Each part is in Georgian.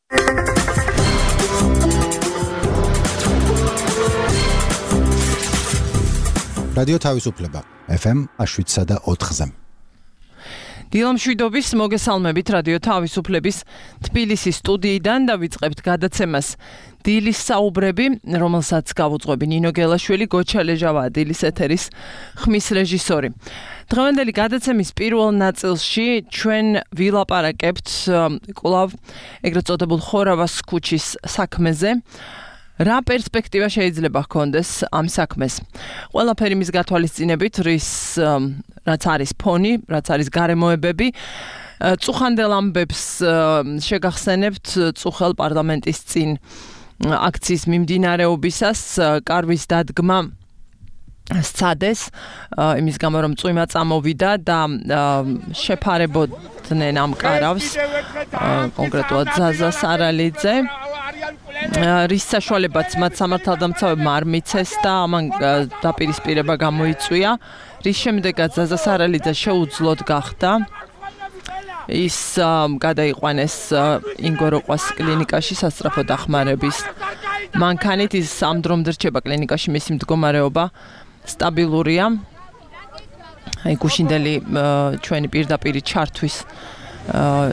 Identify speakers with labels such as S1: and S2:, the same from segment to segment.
S1: რადიო თავისუფლება FM 7.4-ზე.
S2: დილამშვიდობის მოგესალმებით რადიო თავისუფლების თბილისის სტუდიიდან და ვიწყებთ გადაცემას დილის საუბრები, რომელსაც გავუძღვები ნინო გელაშვილი, გოჩა ლეჟავაა დილის ეთერის ხმის რეჟისორი. დღევანდელი გადაცემის პირველ ნაწილში ჩვენ ვილაპარაკებთ კვლავ ეგრეთ წოდებულ ხორავას ქუჩის საქმეზე. რა პერსპექტივა შეიძლება ჰქონდეს ამ საქმეს? ყველაფერი მის გათვალისწინებით, რაც არის ფონი, რაც არის გარემოებები, წუხანდელ ამბებს შეგახსენებთ წუხელ პარლამენტის წინ აქციის მიმდინარეობისას, კარვის დადგმა სცადეს, იმის გამო რომ წვიმა წამოვიდა და შეფარებოდნენ ამ კარავს, კონკრეტულად ზაზა სარალიძე. რის საშუალებაც მათ სამართალდამცავებმა არ მიცეს და ამან დაპირისპირება გამოიწვია, რის შემდეგაც ზაზა სარალიძე შეუძლოდ გახდა. ის გადაიყვანეს ინგოროყვას კლინიკაში სასწრაფო დახმარების მანქანით. ის ამ დრომდე რჩება კლინიკაში, მისი მდგომარეობა სტაბილურია. გუშინდელი ჩვენი პირდაპირი ჩართვის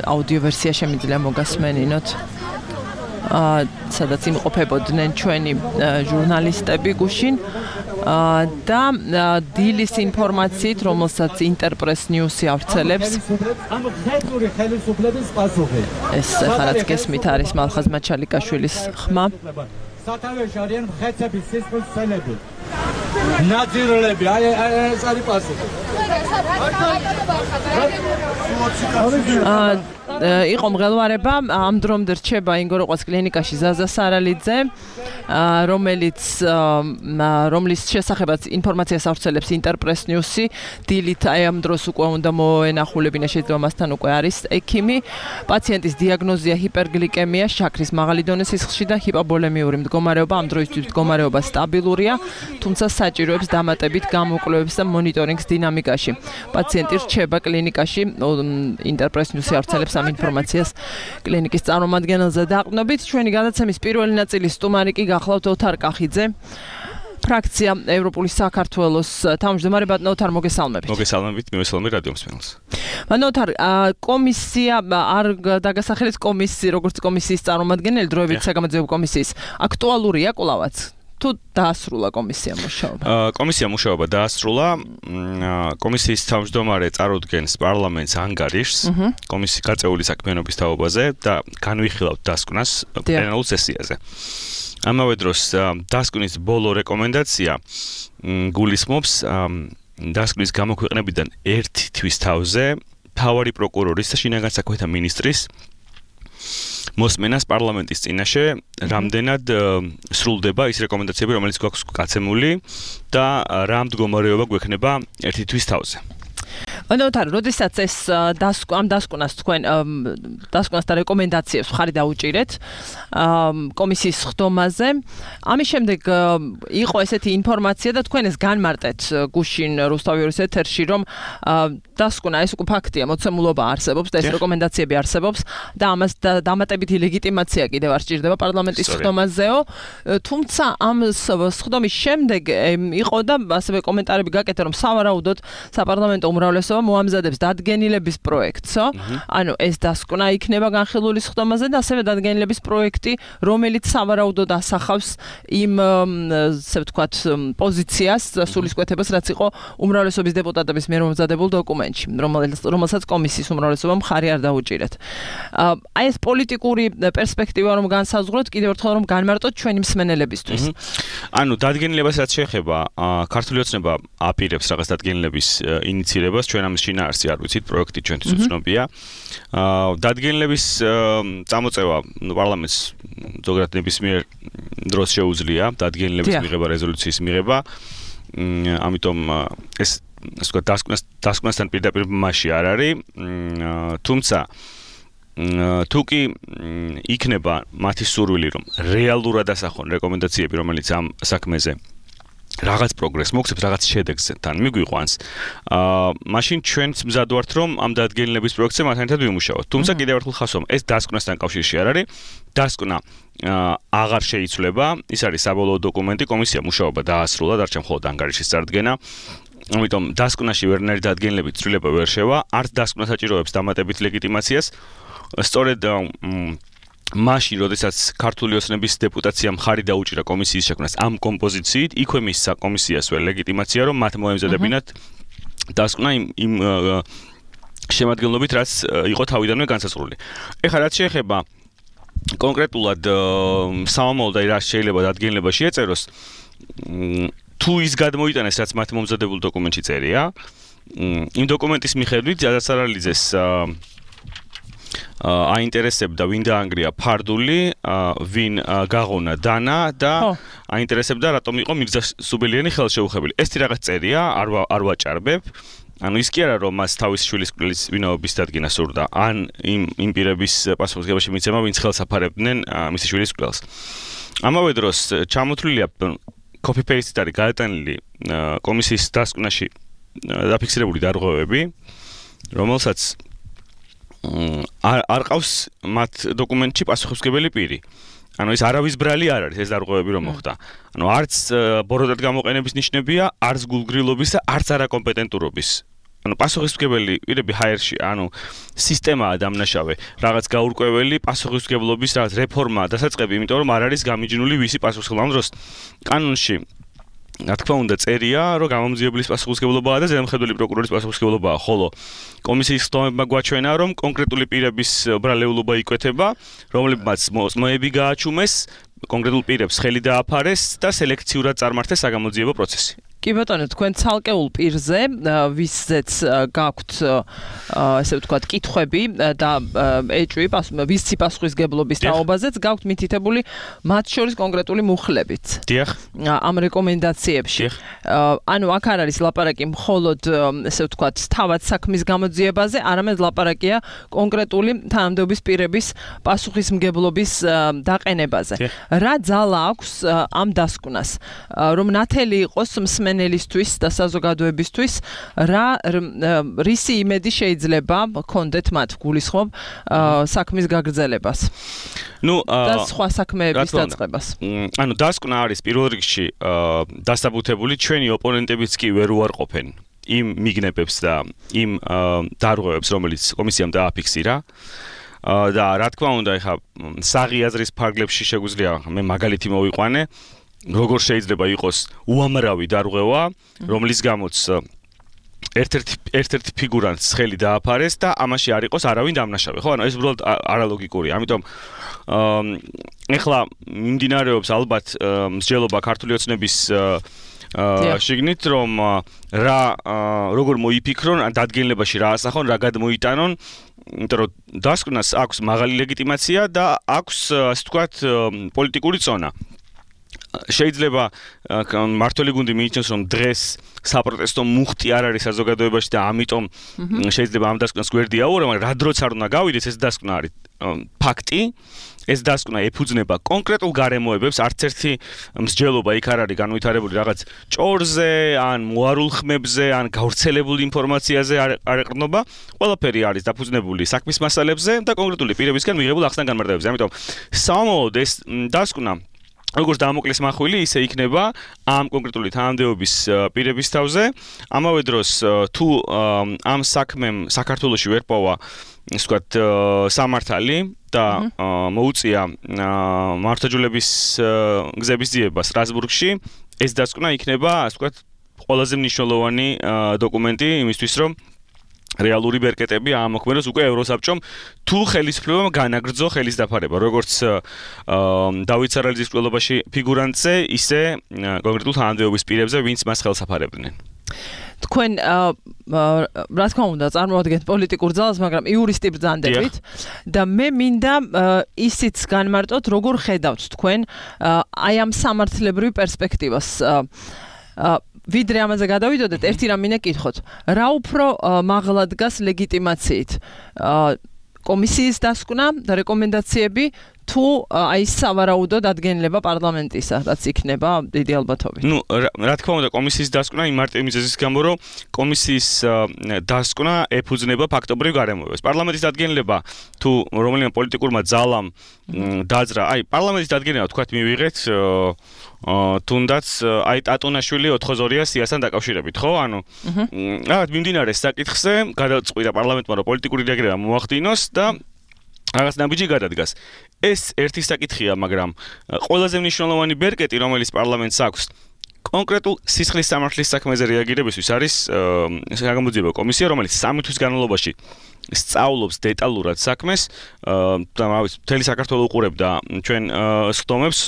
S2: აუდიო ვერსია შემიძლია მოგასმენინოთ, სადაც იმყოფებოდნენ ჩვენი ჟურნალისტები გუშინ და დილის ინფორმაციით, რომელსაც ინტერპრეს ნიუსი ავრცელებს. ეს ხარაც გესმით არის მალხაზ მაჩალიკაშვილის ხმა.
S3: სათავეში არიან მხეცების სისხლის ცელები. ნაძირლები, ეს არის პასუხი.
S2: იყო მღელვარება, ამ დრომდე რჩება ინგოროყვას კლინიკაში ზაზა სარალიძე, რომლის შესახებაც ინფორმაციას ავრცელებს ინტერპრეს ნიუსი. დილით ამ დროს უკვე უნდა მოენახულებინა, შეიძლება მასთან უკვე არის ექიმი. პაციენტის დიაგნოზია ჰიპერგლიკემია, შაქრის მაღალი დონის სისხლში და ჰიპობოლემიური მდგომარეობა. ამ დროისთვის მდგომარეობა სტაბილურია, თუმცა საჭიროებს დამატებით გამოკვლევებს და მონიტორინგს დინამიკაში. პაციენტი რჩება კლინიკაში, ინტერპრეს ნიუსი ავრცელებს ამ ინფორმაციას კლინიკის წარმომადგენელზე. დაყრდნობით ჩვენი გადაცემის პირველი ნაწილის სტუმარი კი გახლავთ ოთარ კახიძე, ფრაქცია ევროპული საქართველოს თავმჯდომარე. ბატონო ოთარ, მოგესალმებით.
S4: მოგესალმებით, მივესალმებით რადიო მსმენელს.
S2: ბატონო ოთარ, კომისია არ დაგასახელეთ კომისიის, როგორც კომისიის წარმომადგენელი, დროებით საგამოძიებო კომისიის, აქტუალურია კვლავაც? თუ დაასრულა კომისია მუშაობა?
S4: კომისია მუშაობა დაასრულა. კომისიის თავმჯდომარე წარუდგენს პარლამენტს ანგარიშს კომისიის გაწეული საქმიანობის თაობაზე და განვიხილავთ დასკვნას პლენარულ სესიაზე. ამავე დროს დასკვნის ბოლო რეკომენდაცია გულისხმობს დასკვნის გამოქვეყნებიდან ერთი თვის თავზე მთავარი პროკურორის და შინაგან საქმეთა მინისტრის მოსმენას პარლამენტის წინაშე, რამდენად სრულდება ის რეკომენდაციები, რომელიც გვაქვს გაცემული და რა მდგომარეობა გვექნება ერთი თვის თავზე.
S2: ოთარ, როდესაც ეს ამ დასკვნას თქვენ დასკვნას და რეკომენდაციებს ხარი დაუჭირეთ კომისიის ხდომაზე, ამის შემდეგ იყო ესეთი ინფორმაცია და თქვენ ეს განმარტეთ გუშინ რუსთავის ეთერში, რომ დასკვნა ეს უკვე ფაქტია, მოცემულობა არსებობს და ეს რეკომენდაციები არსებობს და ამას დამატებითი ლეგიტიმაცია კიდევ არ სჭირდება პარლამენტის ხდომაზეო. თუმცა ამ ხდომის შემდეგ იყო და ასევე კომენტარები გაკეთა, რომ სავარაუდოდ საპარლამენტო უმრავლესობა მოამზადებს დადგენილების პროექტსო. ანუ ეს დასკვნა იქნება განხილული ხდომაზე და ასევე დადგენილების პროექტი, რომელიც სავარაუდოდ ასახავს იმ ასე ვთქვათ პოზიციას, სულისკვეთებას, რაც იყო უმრავლესობის დეპუტატების მიერ მომზადებულ დოკუმენტში, რომელსაც კომისიის უმრავლესობამ მხარი არ დაუჭირეთ. აი ეს პოლიტიკური პერსპექტივა რომ განსაზღვროთ, კიდევ ერთხელ რომ განმარტოთ ჩვენი მსმენელებისთვის.
S4: ანუ დადგენილებას რაც შეეხება, ქართული ოცნება აპირებს რაღაც დადგენილების ინიცირებას, ჩვენ ამის შინაარსი არ ვიცით, პროექტი ჩვენთვის უცნობია. დადგენილების წამოწევა პარლამენტს ზოგადად ნებისმიერ დროს შეუძლია დადგენილების მიღება, რეზოლუციის მიღება. ამიტომ ეს დასკვნასთან პირდაპირ მასში არ არის. თუმცა თუ კი იქნება მათი სურვილი, რომ რეალურად ასახონ რეკომენდაციები, რომელიც ამ საქმეზე რაღაც პროგრესს მოგცემს, რაღაც შედეგთან მიგვიყვანს. მაშინ ჩვენც მზად ვართ, რომ ამ დადგენილების პროექტზე მათთან ერთად ვიმუშაოთ. თუმცა კიდევ ერთხელ ხასვამ, ეს დასკვნასთან კავშირში არ არის. დასკვნა აღარ შეიცვლება, ის არის საბოლოო დოკუმენტი, კომისია მუშაობა დაასრულა, დარჩა მხოლოდ ანგარიშის წარდგენა. ამიტომ დასკვნაში ვერნერი დადგენილებით ცვლილება ვერ შევა, არც დასკვნა საჭიროებს დამატებით ლეგიტიმაციას. სწორედ მაშინ, როდესაც ქართული ოცნების დეპუტაციამ ხარი დაუჭირა კომისიის შექმნას ამ კომპოზიციით, იქვე მისცა კომისიას ვერ ლეგიტიმაცია, რომ მათ მოემზადებინათ დასკვნა იმ შემადგენლობით, რაც იყო თავიდანვე განსაზღვრული. ეხლა რაც შეეხება კონკრეტულად სამომავლოდ და რა შეიძლება დადგენილებაში ეწეროს, თუ ის გადმოიტანეს, რაც მათ მომზადებულ დოკუმენტში წერია, იმ დოკუმენტის მიხედვით ზადასარალიძეს აინტერესებდა ვინ დაანგრია ფარდული, ვინ გაღონა დანა და აინტერესებდა რატომ იყო მირზა სუბელიანი ხელშეუხებელი. ეს რაღაც წერია, არ ვაჭარბებ. ანუ ის კი არა რომ მას თავის შვილის კვლევის ვინაობის დადგენა სურდა, ან იმ პირების პასუხისმგებაში მიცემა, ვინც ხელს აფარებდნენ მისი შვილის კვლევას. ამავე დროს ჩამოთვლილია copy-paste-ით არის გადატანილი კომისიის დასკვნაში დაფიქსირებული დარღვევები, რომელსაც არ ყავს მათ დოკუმენტში პასუხისმგებელი პირი. ანუ ეს არავის ბრალი არ არის ეს დარღვევები რომ მოხდა. ანუ არც ბოროტად გამოყენების ნიშნებია, არც გულგრილობის და არც არაკომპეტენტურობის. ანუ პასუხისმგებელი პირები ჰაერში, ანუ სისტემაა დამნაშავე, რაღაც გაურკვეველი პასუხისმგებლობის რაღაც რეფორმა დასაწყები, იმიტომ რომ არ არის გამიჯნული ვისი პასუხისმგებელი. ამ დროს კანონში რა თქმა უნდა წერია, რომ გამომძიებლის პასუხისმგებლობაა და ზედამხედველი პროკურორის პასუხისმგებლობაა, ხოლო კომისიის ხდომებმა გვაჩვენა, რომ კონკრეტული პირების ბრალეულობა იკვეთება, რომლებმაც მოწმოები გააჩუმეს, კონკრეტულ პირებს ხელი დააფარეს და სელექციურად წარმართეს საგამოძიებო პროცესი.
S2: კი ბატონო, თქვენ ცალკეულ პირზე, ვისზეც გაქვთ ესე ვთქვათ, კითხვები და ეჭვი ვისი პასუხისმგებლობის თაობაზეც გაქვთ მითითებული მათ შორის კონკრეტული მუხლებით.
S4: დიახ.
S2: ამ რეკომენდაციებში. ანუ აქ არ არის ლაპარაკი მხოლოდ ესე ვთქვათ, თავად საქმის გამოძიებაზე, არამედ ლაპარაკია კონკრეტული თანამდებობის პირების პასუხისმგებლობის დაყენებაზე. რა ძალა აქვს ამ დასკვნას, რომ ნათელი იყოს მსმენელისთვის და საზოგადოებისთვის, რისი იმედი შეიძლება გქონდეთ მათ გულისხმობ საქმის გაგრძელებას და სხვა საქმეების დაწყებას.
S4: ანუ დასკვნა არის პირველ რიგში დასაბუთებული, ჩვენი ოპონენტებიც კი ვერ უარყოფენ იმ მიგნებებს და იმ დარღვევებს, რომელიც კომისიამ დააფიქსირა. და რა თქმა უნდა, ეხა საღი აზრის ფარგლებში შეგვიძლია მე მაგალითი მოვიყვანე, როგორ შეიძლება იყოს უამრავი დარღვევა, რომლის გამოც ერთ-ერთი ფიგურანტს ხელი დააფარეს და ამაში არ იყოს არავინ დამნაშავე. ხო, ანუ ეს უბრალოდ არალოგიკურია. ამიტომ ეხლა მიმდინარეობს ალბათ მსჯელობა ქართული ოცნების შიგნით, რომ როგორ მოიფიქრონ, დადგენილებაში რა ასახონ, რა გადმოიტანონ, იმიტომ რომ დასკვნას აქვს მაღალი ლეგიტიმაცია და აქვს, ასე ვთქვათ, პოლიტიკური წონა. შეიძლება მართველი გუნდი მიიჩნევს, რომ დღეს საპროტესტო მუხტი არ არის საზოგადოებაში და ამიტომ შეიძლება ამ დასკვნას გვერდი აუღო, მაგრამ რა დროც არ უნდა გავიდეს, ეს დასკვნა არის ფაქტი. ეს დასკვნა ეფუძნება კონკრეტულ გარემოებებს, არც ერთი მსჯელობა იქ არ არის განვითარებული რაღაც ჭორზე, ან მოარულ ხმებზე, ან გავრცელებული ინფორმაციაზე არ ეყრდნობა. ყველაფერი არის დაფუძნებული საქმის მასალებზე და კონკრეტული პირებისგან მიღებულ ახსნა განმარტებებზე. ამიტომ სამომავლოდ ეს დასკვნა როგორც დამოკლეს მახვილი, ისე იქნება ამ კონკრეტული თანამდებობის პირების თავზე. ამავე დროს თუ ამ საქმემ საქართველოში ვერ პოვა, ისე ვთქვათ, სამართალი და მოუწია მართლმსაჯულების გზების ძიება სტრასბურგში, ეს დასკვნა იქნება, ასე ვთქვათ, ყველაზე მნიშვნელოვანი დოკუმენტი იმისთვის, რომ რეალური ბერკეტები ამოქმედოს უკვე ევროსაბჭომ თუ ხელისუფლებამ განაგრძო ხელის დაფარება, როგორც დავით სარალიძის კვლევაში ფიგურანტზე, ისე კონკრეტულ თანამდებობის პირებზე, ვინც მას ხელს აფარებდნენ.
S2: თქვენ რა თქმა უნდა წარმოადგენთ პოლიტიკურ ძალას, მაგრამ იურისტი ბრძანდებით და მე მინდა ისიც განმარტოთ, როგორ ხედავთ თქვენ აი ამ სამართლებრივ პერსპექტივას. ვიდრე ამაზე გადავიდოდეთ, ერთი რამ მინდა გითხოთ. რა უფრო მაღლა დგას ლეგიტიმაციით? კომისიის დასკვნა და რეკომენდაციები თუ აი სავარაუდო დადგენილება პარლამენტისა, რაც იქნება დიდი ალბათობით.
S4: ნუ რა თქმა უნდა კომისიის დასკვნა იმ მარტივი მიზეზის გამო, რომ კომისიის დასკვნა ეფუძნება ფაქტობრივ გარემოებას. პარლამენტის დადგენილება თუ რომელიმე პოლიტიკურმა ძალამ დაძრა, აი პარლამენტის დადგენილება თქვათ მივიღეთ თუნდაც აი ტატუნაშვილი 4-2 სიასთან დაკავშირებით, ხო? ანუ რაღაც მიმდინარე საკითხზე გადაწყვიტა პარლამენტმა რომ პოლიტიკური რეაგირება მოახდინოს და რაღაც ნაბიჯი გადადგას. ეს ერთი საკითხია, მაგრამ ყველაზე მნიშვნელოვანი ბერკეტი, რომელიც პარლამენტს აქვს, კონკრეტულ სისხლის სამართლის საქმეზე რეაგირებისთვის არის საგამოძიებო კომისია, რომელიც 3 თვის განმავლობაში სწავლობს დეტალურად საქმეს და მთელი საქართველო უყურებდა ჩვენ სხდომებს.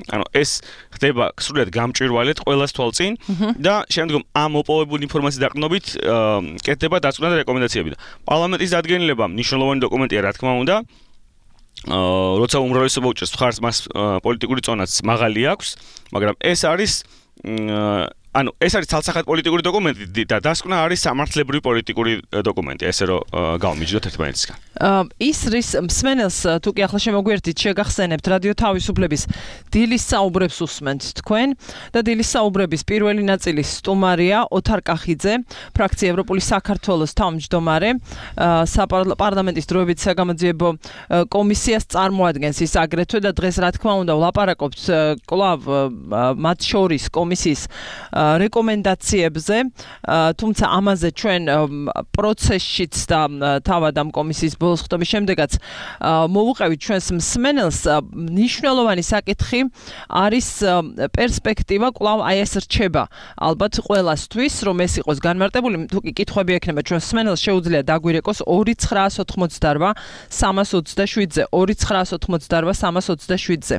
S4: ანუ ეს ხდება სრულად გამჭვირვალედ ყველას თვალწინ და შემდგომ ამ მოპოვებული ინფორმაციის დაყრდნობით კეთდება დაწვრთნა და რეკომენდაციები და პარლამენტის დადგენილება მნიშვნელოვანი დოკუმენტია რა თქმა უნდა როცა უმრავლესობა უჭერს მხარს მას პოლიტიკური წონაც მაღალი აქვს მაგრამ ეს არის ანუ ეს არის ცალსახად პოლიტიკური დოკუმენტი და დასკვნა არის სამართლებრივი პოლიტიკური დოკუმენტი ესე რომ გავმიჯდოთ ერთმანეთისგან
S2: ის რის მსმენელს თუ კი ახლა შემოგვიერთით შეგახსენებთ რადიო თავისუფლების დილის საუბრებს უსმენთ თქვენ და დილის საუბრების პირველი ნაწილის სტუმარია ოთარ კახიძე ფრაქცია ევროპული საქართველოს თავმჯდომარე საპარლამენტის დროებითი საგამოძიებო კომისიას წარმოადგენს ის აგრეთვე და დღეს რა თქმა უნდა ვლაპარაკობთ კვლავ მათ შორის კომისიის რეკომენდაციებზე, თუმცა ამაზე ჩვენ პროცესშიც და თავად ამ კომისიის ბოლოს ხდომის შემდეგაც მოვუყევით ჩვენს მსმენელს მნიშვნელოვანი საკითხი არის პერსპექტივა კვლავ აი ეს რჩება ალბათ ყველასთვის რომ ეს იყოს განმარტებული თუ კი კითხვები ექნება ჩვენ მსმენელს შეუძლია დაგვირეკოს 2988 327-ზე 2988 327-ზე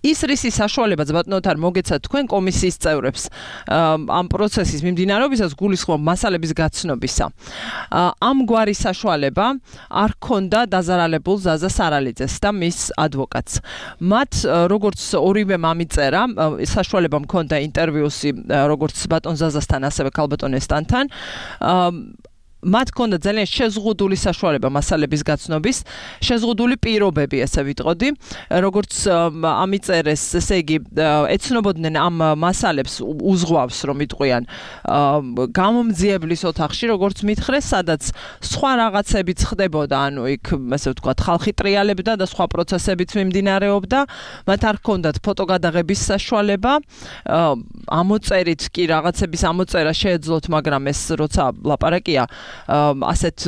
S2: ის რისი საშუალებაც ბატონო თარ მოგეცათ თქვენ კომისიის წევრებს ამ პროცესის მიმდინარეობისას გულისხმობ მასალების გაცნობისა. ამ გვარი საშუალება არ ჰქონდა დაზარალებულ ზაზა სარალიძეს და მის ადვოკატს. მათ როგორც ორივე მამიწერა საშუალება მქონდა ინტერვიუსი როგორც ბატონ ზაზასთან ასევე ქალბატონ ესტანთან მათ ჰქონდა ძალიან შეზღუდული საშუალება მასალების გაცნობის, შეზღუდული პირობები, ესე ვიტყოდი, როგორც ამიწერეს, ესე იგი, ეცნობოდნენ ამ მასალებს უზღვავს, რომ იტყვიან გამომძიებლის ოთახში, როგორც მითხრეს, სადაც სხვა რაღაცებიც ხდებოდა, ანუ იქ, ესე ვთქვათ, ხალხი ტრიალებდა და სხვა პროცესებიც მიმდინარეობდა, მათ არ ჰქონდათ ფოტოგადაღების საშუალება, ამოწერით კი რაღაცების ამოწერა შეეძლოთ, მაგრამ ეს როცა ლაპარაკია ასეთ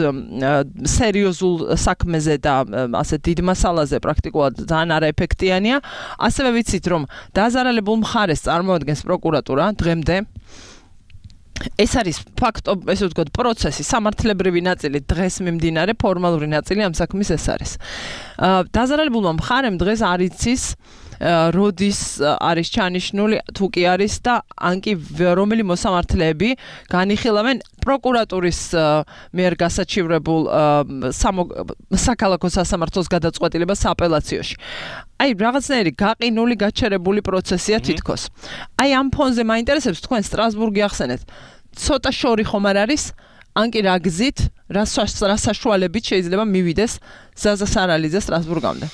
S2: სერიოზულ საქმეზე და ასეთ დიდ მასალაზე პრაქტიკულად ძალიან არაეფექტიანია. ასევე ვიცით, რომ დაზარალებულ მხარეს წარმოადგენს პროკურატურა დღემდე. ეს არის ფაქტო, ესე ვთქვათ, პროცესი, სამართლებრივი ნაწილი დღეს მიმდინარე, ფორმალური ნაწილი ამ საქმის ეს არის. დაზარალებულმა მხარემ დღეს არ იცის როდის არის ჩანიშნული თუ კი არის და ანკი რომელი მოსამართლეები განიხილავენ პროკურატურის მიერ გასაჩივრებულ საქალაქო სასამართლოს გადაწყვეტილებას აპელაციაში. აი რაღაცნაირი გაყინული გაჩერებული პროცესია თითქოს. აი ამ ფონზე მაინტერესებს თქვენ სტრასბურგი ახსენეთ. ცოტა შორი ხომ არ არის? ანკი რა გზით, რა საშუალებით შეიძლება მივიდეს ზაზა სარალიძე სტრასბურგამდე?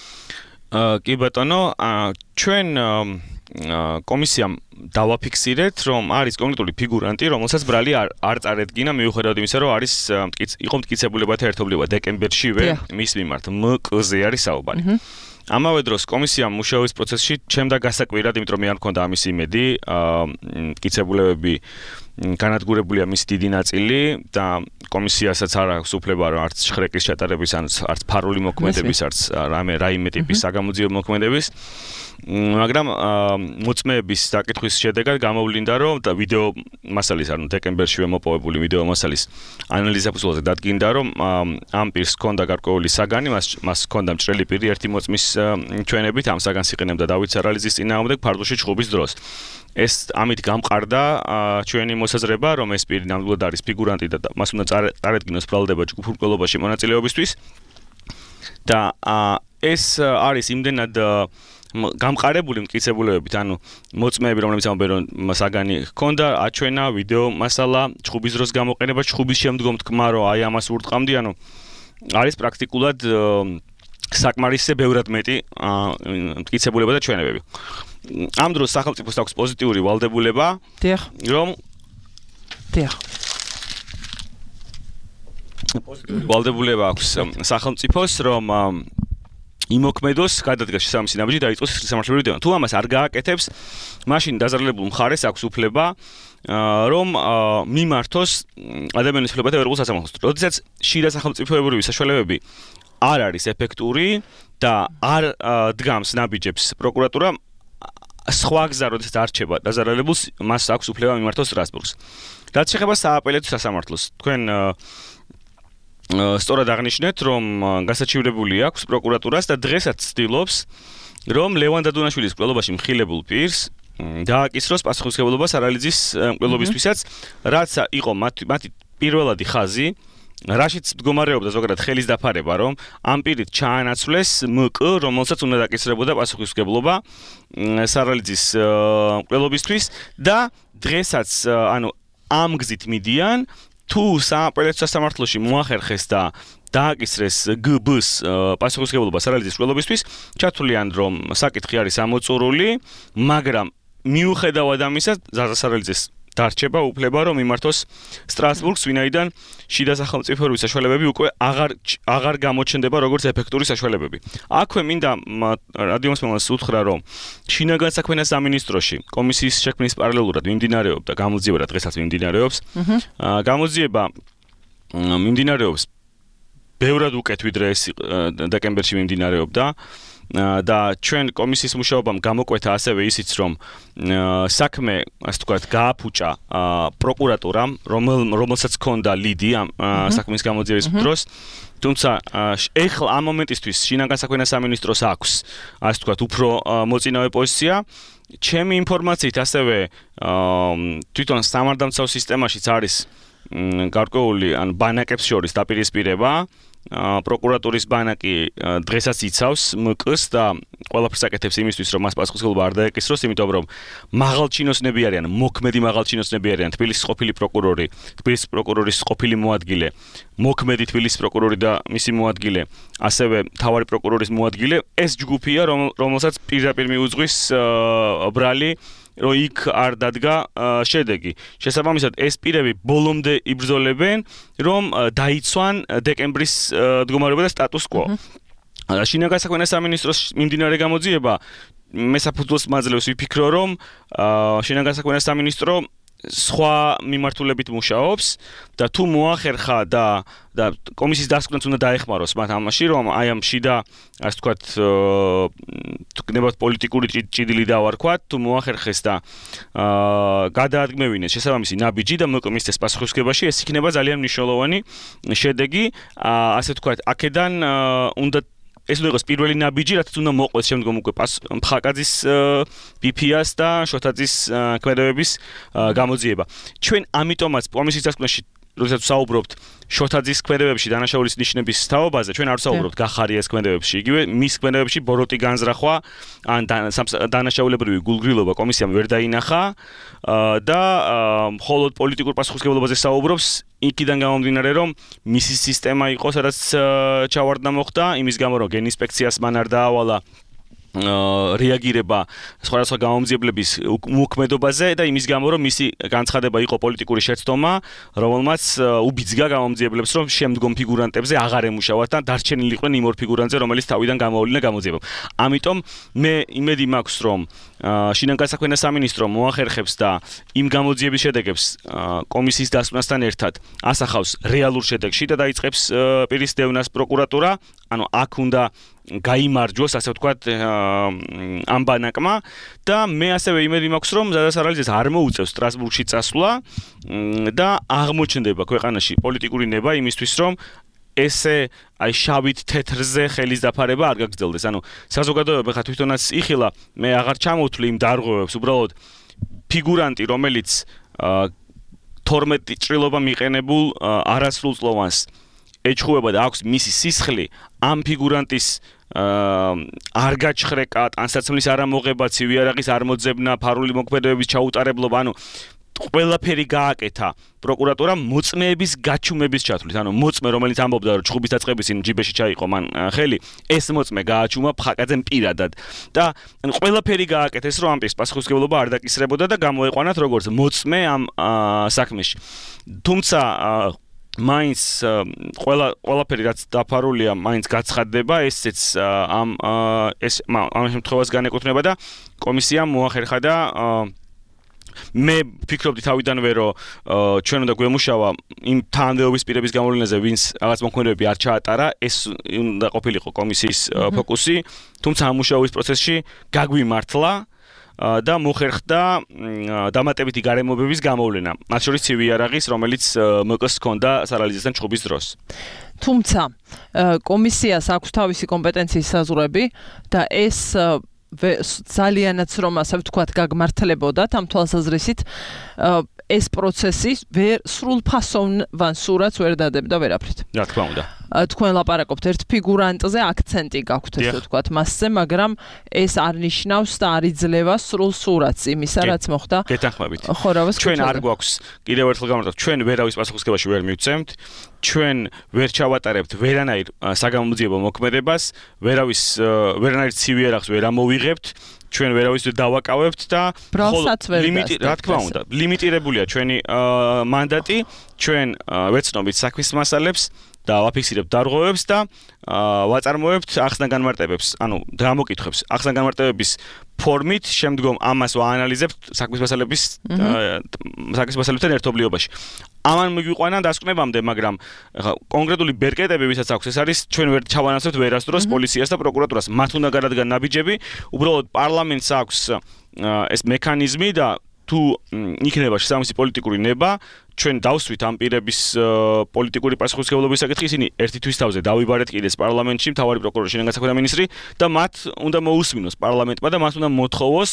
S4: კი ბატონო, ჩვენ კომისიამ დავაფიქსირეთ, რომ არის კონკრეტული ფიგურანტი, რომელსაც ბრალი არ წარედგინა მიუხედავად იმისა, რომ არის იყო მტკიცებულებათა ერთობლივება დეკემბერშივე მის მიმართ მკ-ზე არის საუბარი. ამავე დროს კომისიამ მუშაობის პროცესში ჩემდა გასაკვირად, იმიტომ რომ მე არ მქონდა ამის იმედი, მტკიცებულებები განადგურებულია მის დიდი ნაწილი და კომისიასაც არ აქვს უფლება რომ არც შხრეკის ჩატარების არც ფარული მოქმედების არც რაიმე ტიპის საგამოძიებო მოქმედების მაგრამ მოწმეების საკითხვის შედეგად გამოვლინდა რომ ვიდეო მასალის ანუ დეკემბერშივე მოპოვებული ვიდეო მასალის ანალიზის ფუძველზე დადგინდა რომ ამ პირს ჰქონდა გარკვეული საგანი მას ჰქონდა მჭრელი პირი ერთი მოწმის ჩვენებით ამ საგანს იყენებდა დავით სარალიძის წინააღმდეგ ფარდუში ჩხუბის დროს ეს ამით გამყარდა ჩვენი მოსაზრება რომ ეს პირი ნამდვილად არის ფიგურანტი და მას უნდა წარედგინოს ბრალდება ჯგუფურ მკვლელობაში მონაწილეობისთვის და ეს არის იმდენად გამყარებული მტკიცებულებებით, ანუ მოწმეები, რომლებიც ამბობენ, რომ საგანი ჰქონდა, აჩვენა ვიდეო მასალა, ჩხუბის დროს გამოყენება, ჩხუბის შემდგომ თქვა, რომ აი ამას ურტყამდი, ანუ არის პრაქტიკულად საკმარისზე ბევრად მეტი მტკიცებულება და ჩვენებები. ამ დროს სახელმწიფოს აქვს პოზიტიური ვალდებულება, რომ ვალდებულება აქვს სახელმწიფოს, რომ იმოქმედოს გადადგას შესაბამისი ნაბიჯი დაიწყოს სამართლებრივი დევნა. თუ ამას არ გააკეთებს, მაშინ დაზარალებულ მხარეს აქვს უფლება რომ მიმართოს ადამიანის უფლებათა ევროპულ სასამართლოს. როდესაც შიდა სახელმწიფოებრივი საშუალებები არ არის ეფექტური და არ დგამს ნაბიჯებს პროკურატურა, სხვა გზა როდესაც არჩება დაზარალებულს, მას აქვს უფლება მიმართოს სტრასბურგს. რაც შეეხება სააპელაციო სასამართლოს, თქვენ სწორად აღნიშნეთ, რომ გასაჩივრებული აქვს პროკურატურას და დღესაც ცდილობს, რომ ლევან დადუნაშვილის მკვლელობაში მხილებულ პირს დააკისროს პასუხისმგებლობა სარალიძის მკვლელობისთვისაც, რაც იყო მათი პირველადი ხაზი, რაშიც მდგომარეობდა ზოგადად ხელის დაფარება, რომ ამ პირით ჩაანაცვლეს მკ, რომელსაც უნდა დაკისრებოდა პასუხისმგებლობა სარალიძის მკვლელობისთვის და დღესაც ამ გზით მიდიან, თუ სააპელაციო სასამართლოში მოახერხეს და დააკისრეს გბ-ს პასუხისმგებლობა სარალიძის მკვლელობისთვის, ჩათვლიან, რომ საკითხი არის ამოწურული, მაგრამ მიუხედავად ამისა, სარალიძეს დარჩება უფლება, რომ მიმართოს სტრასბურგს, ვინაიდან შიდა სახელმწიფოებრივი საშუალებები უკვე აღარ გამოჩნდება როგორც ეფექტური საშუალებები. აქვე მინდა რადიომსმენელს უთხრა, რომ შინაგან საქმეთა სამინისტროში კომისიის შექმნის პარალელურად მიმდინარეობდა გამოძიება და დღესაც მიმდინარეობს. გამოძიება მიმდინარეობს ბევრად უკეთ ვიდრე ეს დეკემბერში მიმდინარეობდა. და ჩვენ კომისიის მუშაობამ გამოკვეთა ასევე ისიც, რომ საქმე, ასე ვთქვათ, გააფუჭა პროკურატურამ, რომელსაც ჰქონდა ლიდი ამ საქმის გამოძიების დროს. თუმცა ეხლა ამ მომენტისთვის შინაგან საქმეთა სამინისტროს აქვს, ასე ვთქვათ, უფრო მოწინავე პოზიცია. ჩემი ინფორმაციით ასევე თვითონ სამართალდამცავ სისტემაშიც არის გარკვეული ბანაკებს შორის დაპირისპირება. პროკურატურის ბანაკი დღესაც იცავს მკ-ს და ყველაფერს აკეთებს იმისთვის, რომ მას პასუხისმგებლობა არ დაეკისროს, იმიტომ რომ მაღალჩინოსნები არიან, მოქმედი მაღალჩინოსნები არიან, თბილისის ყოფილი პროკურორი, თბილისის პროკურორის ყოფილი მოადგილე, მოქმედი თბილისის პროკურორი და მისი მოადგილე, ასევე მთავარი პროკურორის მოადგილე, ეს ჯგუფია, რომელსაც პირდაპირ მიუძღვის ბრალი, რომ იქ არ დადგა შედეგი. შესაბამისად, ეს პირები ბოლომდე იბრძოლებენ, რომ დაიცვან დეკემბრის მდგომარეობა და სტატუს კვო. შინაგან საქმეთა სამინისტროს მიმდინარე გამოძიება მე საფუძველს მაძლევს ვიფიქრო, რომ შინაგან საქმეთა სამინისტრო სხვა მიმართულებით მუშაობს და თუ მოახერხა და კომისიის დასკვნაც უნდა დაეხმაროს მათ ამაში, რომ აი ამ შიდა, ასე ვთქვათ, გნებავთ პოლიტიკური ჭიდილი დავარქვათ, თუ მოახერხეს და გადაადგმევინეს შესაბამისი ნაბიჯი და მისცეს პასუხისმგებაში, ეს იქნება ძალიან მნიშვნელოვანი შედეგი, ასე ვთქვათ, აქედან უნდა ეს უნდა იყოს პირველი ნაბიჯი, რაც უნდა მოყვეს შემდგომ უკვე მხაკაძის ბიფიას და შოთაძის ქმედებების გამოძიება. ჩვენ ამიტომაც კომისიის დასკვნაში როდესაც საუბრობთ შოთაძის ქმედებებში დანაშაულის ნიშნების თაობაზე, ჩვენ არ ვსაუბრობთ გახარიას ქმედებებში, იგივე მის ქმედებებში ბოროტი განზრახვა ან დანაშაულებრივი გულგრილობა კომისიამ ვერ დაინახა და მხოლოდ პოლიტიკურ პასუხისმგებლობაზე საუბრობს, იქიდან გამომდინარე, რომ მისი სისტემა იყო, სადაც ჩავარდნა მოხდა, იმის გამო რომ გენინსპექციას მან არ დაავალა რეაგირება სხვადასხვა გამომძიებლების მოქმედებაზე და იმის გამო რომ მისი განცხადება იყო პოლიტიკური შეცდომა, რომელმაც უბიძგა გამომძიებლებს, რომ შემდგომ ფიგურანტებზე აღარ ემუშავათ და დარჩენილი იყვნენ იმ ორ ფიგურანტზე, რომელიც თავიდან გამოვლინა გამოძიებამ. ამიტომ მე იმედი მაქვს, რომ შინაგან საქმეთა სამინისტრო მოახერხებს და იმ გამოძიების შედეგებს კომისიის დასკვნასთან ერთად ასახავს რეალურ შედეგში და დაიწყებს პირის დევნას პროკურატურა, ანუ აქ უნდა გაიმარჯვოს, ასე ვთქვათ, ამ ბანაკმა და მე ასევე იმედი მაქვს, რომ სარალიძეს არ მოუწევს სტრასბურგში წასვლა და აღმოჩნდება ქვეყანაში პოლიტიკური ნება იმისთვის, რომ ესე აი შავით თეთრზე ხელის დაფარება არ გაგრძელდეს. ანუ საზოგადოება ხა თვითონაც იხილა, მე აღარ ჩამოვთვლი იმ დარღვევებს, უბრალოდ ფიგურანტი, რომელიც 12 ჭრილობა მიყენებულ არასრულწლოვანს ეჩხუბება და აქვს მისი სისხლი, ამ ფიგურანტის არ გაჩხრეკა, ტანსაცმლის არამოღება, ცივი არაღის არ მოძებნა, ფარული მოქმედებების ჩაუტარებლობა, ანუ ყველაფერი გააკეთა პროკურატურამ მოწმეების გაჩუმების ჩათვლით. ანუ მოწმე, რომელიც ამბობდა, რომ ჩხუბის დაწყების წინ ჯიბეში ჩაიყო მან ხელი, ეს მოწმე გააჩუმა ფხაკაძემ პირადად. და ანუ ყველაფერი გააკეთეს, რომ ამ პირს პასუხისმგებლობა არ დაკისრებოდა და გამოეყვანათ როგორც მოწმე ამ საქმეში. თუმცა მაინც ყველაფერი რაც დაფარულია, მაინც გაცხადდება, ესეც ამ შემთხვევას განეკუთვნება და კომისიამ მოახერხა და მე ფიქრობდი თავიდანვე რომ ჩვენ უნდა გვემუშავა იმ თანამდებობის პირების გამოვლენაზე, ვინც რაღაც მოქმედებები არ ჩაატარა, ეს უნდა ყოფილიყო კომისიის ფოკუსი, თუმცა ამ მუშაობის პროცესში გაგვიმართლა და მოხერხდა დამატებითი გარემოებების გამოვლენა, მათ შორის ცივი იარაღის, რომელიც მოკს ჰქონდა სარალიზესთან ჩხუბის დროს.
S2: თუმცა კომისიას აქვს თავისი კომპეტენციის საზღვრები და ეს ძალიანაც რომ ასე ვთქვათ გაგმართლებოდა ამ თვალსაზრისით ეს პროცესი სრულფასოვან სურათს ვერ დადებდა ვერაფრით.
S4: რა თქმა უნდა.
S2: თქვენ ლაპარაკობთ ერთ ფიგურანტზე, აქცენტი გაქვთ ესე ვთქვათ მასზე, მაგრამ ეს არ ნიშნავს და არ იძლევა სრულ სურათს იმისა, რაც მოხდა.
S4: გეთანხმებით.
S2: ხორავას
S4: ჩვენ არ გვაქვს კიდევ ერთხელ გამარჯვებთ, ჩვენ ვერავის პასუხისმგებლობაში ვერ მივცემთ, ჩვენ ვერ ჩავატარებთ ვერანაირ საგამომძიებო მოქმედებას, ვერანაირ ცივი იარაღს ვერ ამოვიღებთ. ჩვენ ვერავის დავაკავებთ და რა თქმა უნდა, ლიმიტირებულია ჩვენი მანდატი, ჩვენ ვეცნობთ საქმის მასალებს და ვაფიქსირებთ დარღვევებს და ვაწარმოებთ ახსნა განმარტებებს, ანუ გამოკითხვებს, ახსნა განმარტებების ფორმით, შემდგომ ამას ვაანალიზებთ საქმის მასალებთან ერთობლიობაში. ამან მიგვიყვანა დასკვნებამდე, მაგრამ კონკრეტული ბერკეტები, ვისაც აქვს, ეს არის ჩვენ ვერ ჩავანაცვლებთ ვერასდროს პოლიციას და პროკურატურას. მათ უნდა გადადგან ნაბიჯები, უბრალოდ პარლამენტს აქვს ეს მექანიზმი და თუ იქნება შესაბამისი პოლიტიკური ნება, ჩვენ დავსვით ამ პირების პოლიტიკური პასუხისმგებლობის საკითხი, ისინი ერთი თვის თავზე დავიბარეთ კიდეს პარლამენტში, მთავარი პროკურორი, შინაგან საქმეთა მინისტრი და მათ უნდა მოусმინოს პარლამენტმა და მათ უნდა მოთხოვოს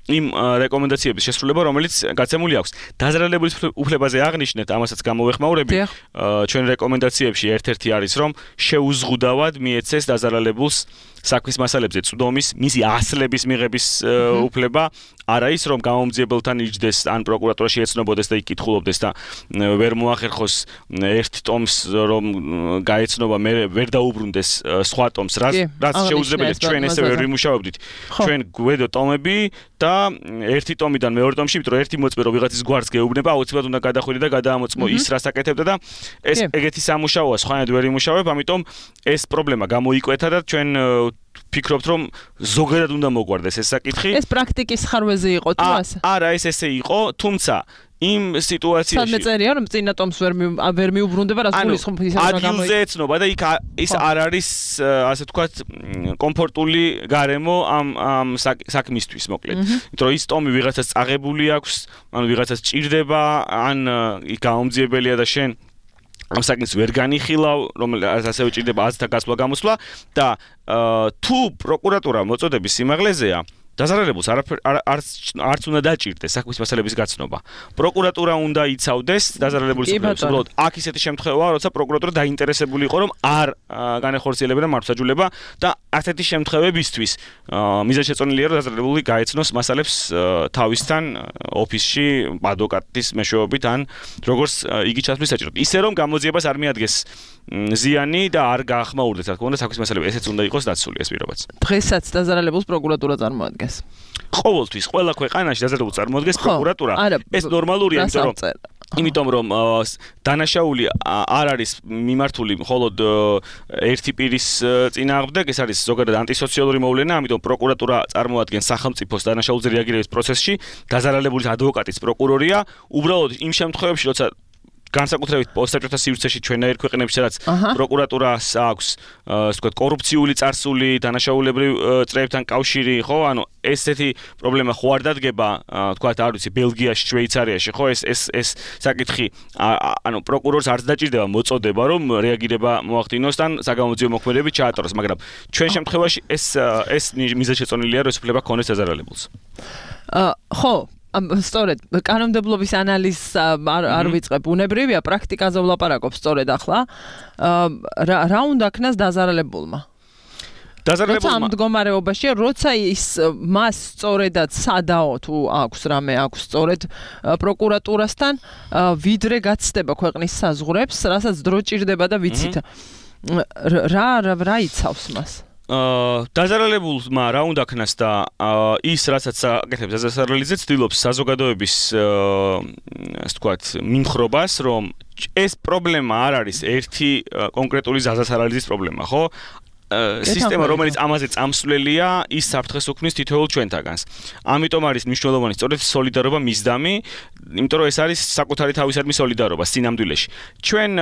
S4: იმ რეკომენდაციების შესრულება, რომელიც გაცემული აქვს. დაზარალებულის უფლებაზე აღნიშნეთ, ამასაც გამოვეხმაურები. ჩვენ რეკომენდაციებში ერთ-ერთი არის, რომ შეუზღუდავად მიეცეს დაზარალებულს საქმის მასალებზე წვდომის, მისი ასლების მიღების უფლება, არა ის, რომ გამომძიებელთან იჯდეს ან პროკურატურაში ეცნობოდეს და იკითხულობდეს და ვერ მოახერხოს ერთ ტომს, რომ გაეცნობა, მე ვერ დაუბრუნდეს სხვა ტომს, რაც შეუძლებელია. ჩვენ ესე ვერ ვიმუშავებდით. ჩვენ გვედო ტომები და ერთი ტომიდან მეორე ტომში, იმიტომ რომ ერთი მოწმე რომ ვიღაცის გვარს გეუბნება, აუცილებლად უნდა გადახვიდე და გადაამოწმო ის, რაც აკეთებდა და ეს ეგეთი სამუშაოა, სხვანაირად ვერ იმუშავებ, ამიტომ ეს პრობლემა გამოიკვეთა და ჩვენ ფიქრობთ, რომ ზოგადად უნდა მოგვარდეს ეს საკითხი.
S2: ეს პრაქტიკის ხარვეზე იყო თუ ასე?
S4: არა, ეს ესე იყო, თუმცა იმ სიტუაციაში
S2: სადმე წერია, რომ წინა ტომს ვერ მიუბრუნდება, რაც გულისხმობს ის რა გამოიქ.
S4: ადგილზე ეცნობა და იქ ის არ არის, ასე ვთქვათ, კომფორტული გარემო ამ საქმისთვის, მოკლედ. იმიტომ რომ ის ტომი ვიღაცას წაღებული აქვს, ანუ ვიღაცას ჭირდება, ან იქ გამომძიებელია და შენ ამ საკითხს ვერ განიხილავ, რომელიც ასე უჭირდება აზრთა გასვლა გამოსვლა და თუ პროკურატურა მოწოდების სიმაღლეზეა, დაზარალებულს არც უნდა დაჭირდეს საქმის მასალების გაცნობა. პროკურატურა უნდა იცავდეს დაზარალებულის უფლებას. უბრალოდ აქ ისეთი შემთხვევაა, როცა პროკურატურა დაინტერესებული იყო, რომ არ განეხორციელებინა მართლმსაჯულება და ასეთი შემთხვევებისთვის მიზანშეწონილია, რომ დაზარალებული გაეცნოს მასალებს თავისთან ოფისში ადვოკატის მეშვეობით ან როგორც იგი ჩასმის საჭიროდ. ისე რომ გამოძიებას არ მიადგეს ზიანი და არ გაახმაურდეს, რა თქმა უნდა, საქმის მასალები, ესეც უნდა იყოს დაცული ეს პირობაც.
S2: დღესაც დაზარალებულს პროკურატურა წარმოადგენს.
S4: ყოველთვის ყველა ქვეყანაში დაზარალებულს წარმოადგენს პროკურატურა. ეს ნორმალურია, იმიტომ რომ დანაშაული არ არის მიმართული მხოლოდ ერთი პირის წინააღმდეგ, ეს არის ზოგადად ანტისოციალური მოვლენა, ამიტომ პროკურატურა წარმოადგენს სახელმწიფოს დანაშაულზე რეაგირების პროცესში, დაზარალებულის ადვოკატის პროკურორია, უბრალოდ იმ შემთხვევებში, როცა განსაკუთრებით პოსტსაბჭოთა სივრცეში ჩვენაირ ქვეყნებში, სადაც პროკურატურას აქვს, ასე ვთქვათ, კორუფციული წარსული, დანაშაულებრივ წრეებთან კავშირი, ხო? ანუ ესეთი პრობლემა ხო არ დადგება, ვთქვათ, არ ვიცი, ბელგიაში, შვეიცარიაში, ხო? ეს საკითხი, ანუ პროკურორს არც დაჭირდება მოწოდება, რომ რეაგირება მოახდინოს და საგამომძიებო მოქმედებები ჩაატაროს, მაგრამ ჩვენ შემთხვევაში ეს მიზანშეწონილია, რომ ეს უფლება ქონდეს დაზარალებულს.
S2: ხო, სწორედ კანონმდებლობის ანალიზს არ ვიწყებ, უნებრივია პრაქტიკაზე ვლაპარაკობ სწორედ ახლა. რა უნდა ქნას დაზარალებულმა? როცა ამ მდგომარეობაშია, როცა ის მას სწორედად სადაო თუ აქვს რამე აქვს სწორედ პროკურატურასთან ვიდრე გაცდება ქვეყნის საზღვრებს, რასაც დრო ჭირდება და ვიცით. რა იცავს მას?
S4: დაზარალებულმა რა უნდა ქნას და ის რასაც აკეთებს დაზარალიძე ცდილობს საზოგადოების ასე ვთქვათ მიმხრობას რომ ეს პრობლემა არ არის ერთი კონკრეტული დაზარალიძის პრობლემა ხო სისტემა რომელიც ამაზე წამსვლელია ის საფრთხეს უქმნის თითოეულ ჩვენთაგანს ამიტომ არის მნიშვნელოვანი სწორედ სოლიდარობა მისდამი იმიტომ რომ ეს არის საკუთარი თავისადმი სოლიდარობა სინამდვილეში ჩვენ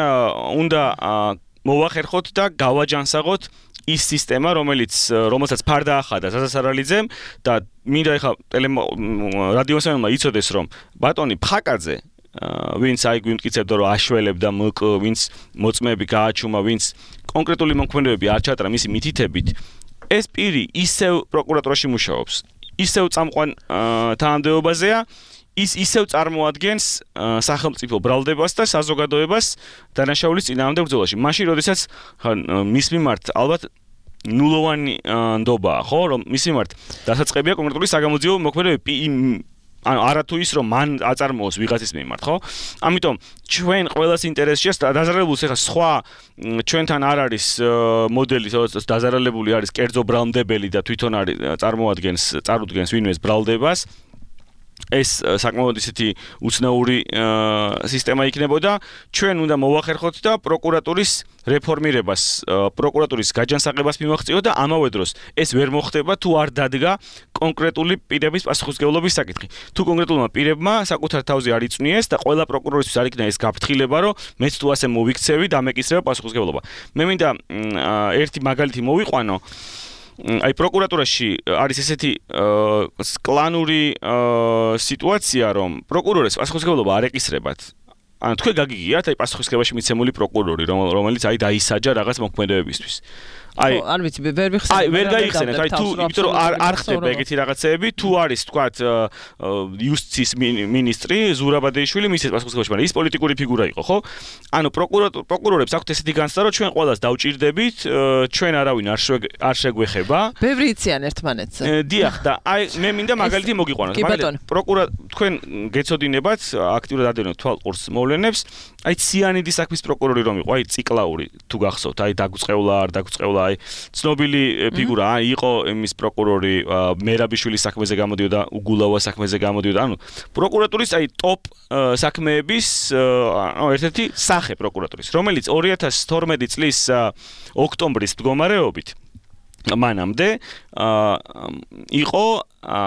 S4: უნდა მოვახერხოთ და გავაჯანსაღოთ ის სისტემა, რომელსაც ფარდა ახადა ზაზასარალიძემ და მინდა ეხა რადიოსმენელმა იცოდეს, რომ ბატონი ფხაკაძე, ვინც აი გვიმტკიცებდა, რომ აშველებდა მკ, ვინც მოწმეები გააჩუმა, ვინც კონკრეტული მომქმედებები არ ჩატრა მისი მითითებით, ეს პირი ისევ პროკურატურაში მუშაობს, ისევ წამყვან თანამდებობაზეა, ის ისევ წარმოადგენს სახელმწიფო ბრალდებას და საზოგადოებას დანაშაულის წინააღმდეგ ბრძოლაში. მაშინ, როდესაც მის მიმართ ალბათ ნულოვანი ნდობაა, ხო, რომ მის მიმართ დასაწყებია კონკრეტული საგამოძიებო მოქმედებები, ანუ არათუ ის რომ მან აწარმოოს ვიღაცის მიმართ, ხო? ამიტომ ჩვენ ყველას ინტერესშია დაზარალებულს ეხა სხვა ჩვენთან არ არის მოდელი, სადაც დაზარალებული არის კერძო ბრალმდებელი და თვითონ არის წარუდგენს ვინმეს ბრალდებას. ეს საკმაოდ ისეთი უცნაური სისტემა იქნებოდა ჩვენ უნდა მოვახერხოთ და პროკურატურის რეფორმირებას პროკურატურის გაჯანსაღებას მივაღწიოთ და ამავე დროს ეს ვერ მოხდება თუ არ დადგა კონკრეტული პირების პასუხისმგებლობის საკითხი თუ კონკრეტულმა პირებმა საკუთარ თავზე არ იწვნიეს და ყველა პროკურორისთვის არ იქნა ეს გაფრთხილება რომ მეც თუ ასე მოვიქცევი და მეკისრება პასუხისმგებლობა მე მინდა ერთი მაგალითი მოვიყვანო აი პროკურატურაში არის ესეთი კლანური სიტუაცია რომ პროკურორებს პასუხისმგებლობა არ ეკისრებათ ანუ თქვენ გაგიგიათ აი პასუხისმგებლობაში მიცემული პროკურორი რომელიც აი დაისაჯა რაღაც მოქმედებებისთვის აი
S2: არ ვიცი ვერ ვიხსენებ
S4: აი ვერ გაიხსენეთ აი თუ იმიტომ რომ არ ხდება ეგეთი რაღაცეები თუ არის თქვათ იუსტიციის მინისტრი ზურაბადეიშვილი მისცეს პასუხისმგებლობაში მაგრამ ის პოლიტიკური ფიგურა იყო ხო ანუ პროკურორებს აქვთ ესეთი განცდა რომ ჩვენ ყველას დავჭირდებით ჩვენ არავინ არ შეგვეხება
S2: ბევრი იციან ერთმანეთს
S4: დიახ და აი მე მინდა მაგალითი მოგიყვანოთ თქვენ გეცოდინებათ აქტიურად ადევნოთ თვალყურს მოვლენებს აი ციანიდის საქმის პროკურორი რომ იყო აი ციკლაური თუ გახსოვთ აი დაგუწყევლა არ დაგუწყევლა აი ცნობილი ფიგურა იყო იმის პროკურორი მერაბიშვილის საქმეზე გამოდიოდა უგულავა საქმეზე გამოდიოდა ანუ პროკურატურის აი ტოპ საქმეების ერთ-ერთი სახე პროკურატურის რომელიც 2012 წლის ოქტომბრის მდგომარეობით მანამდე იყო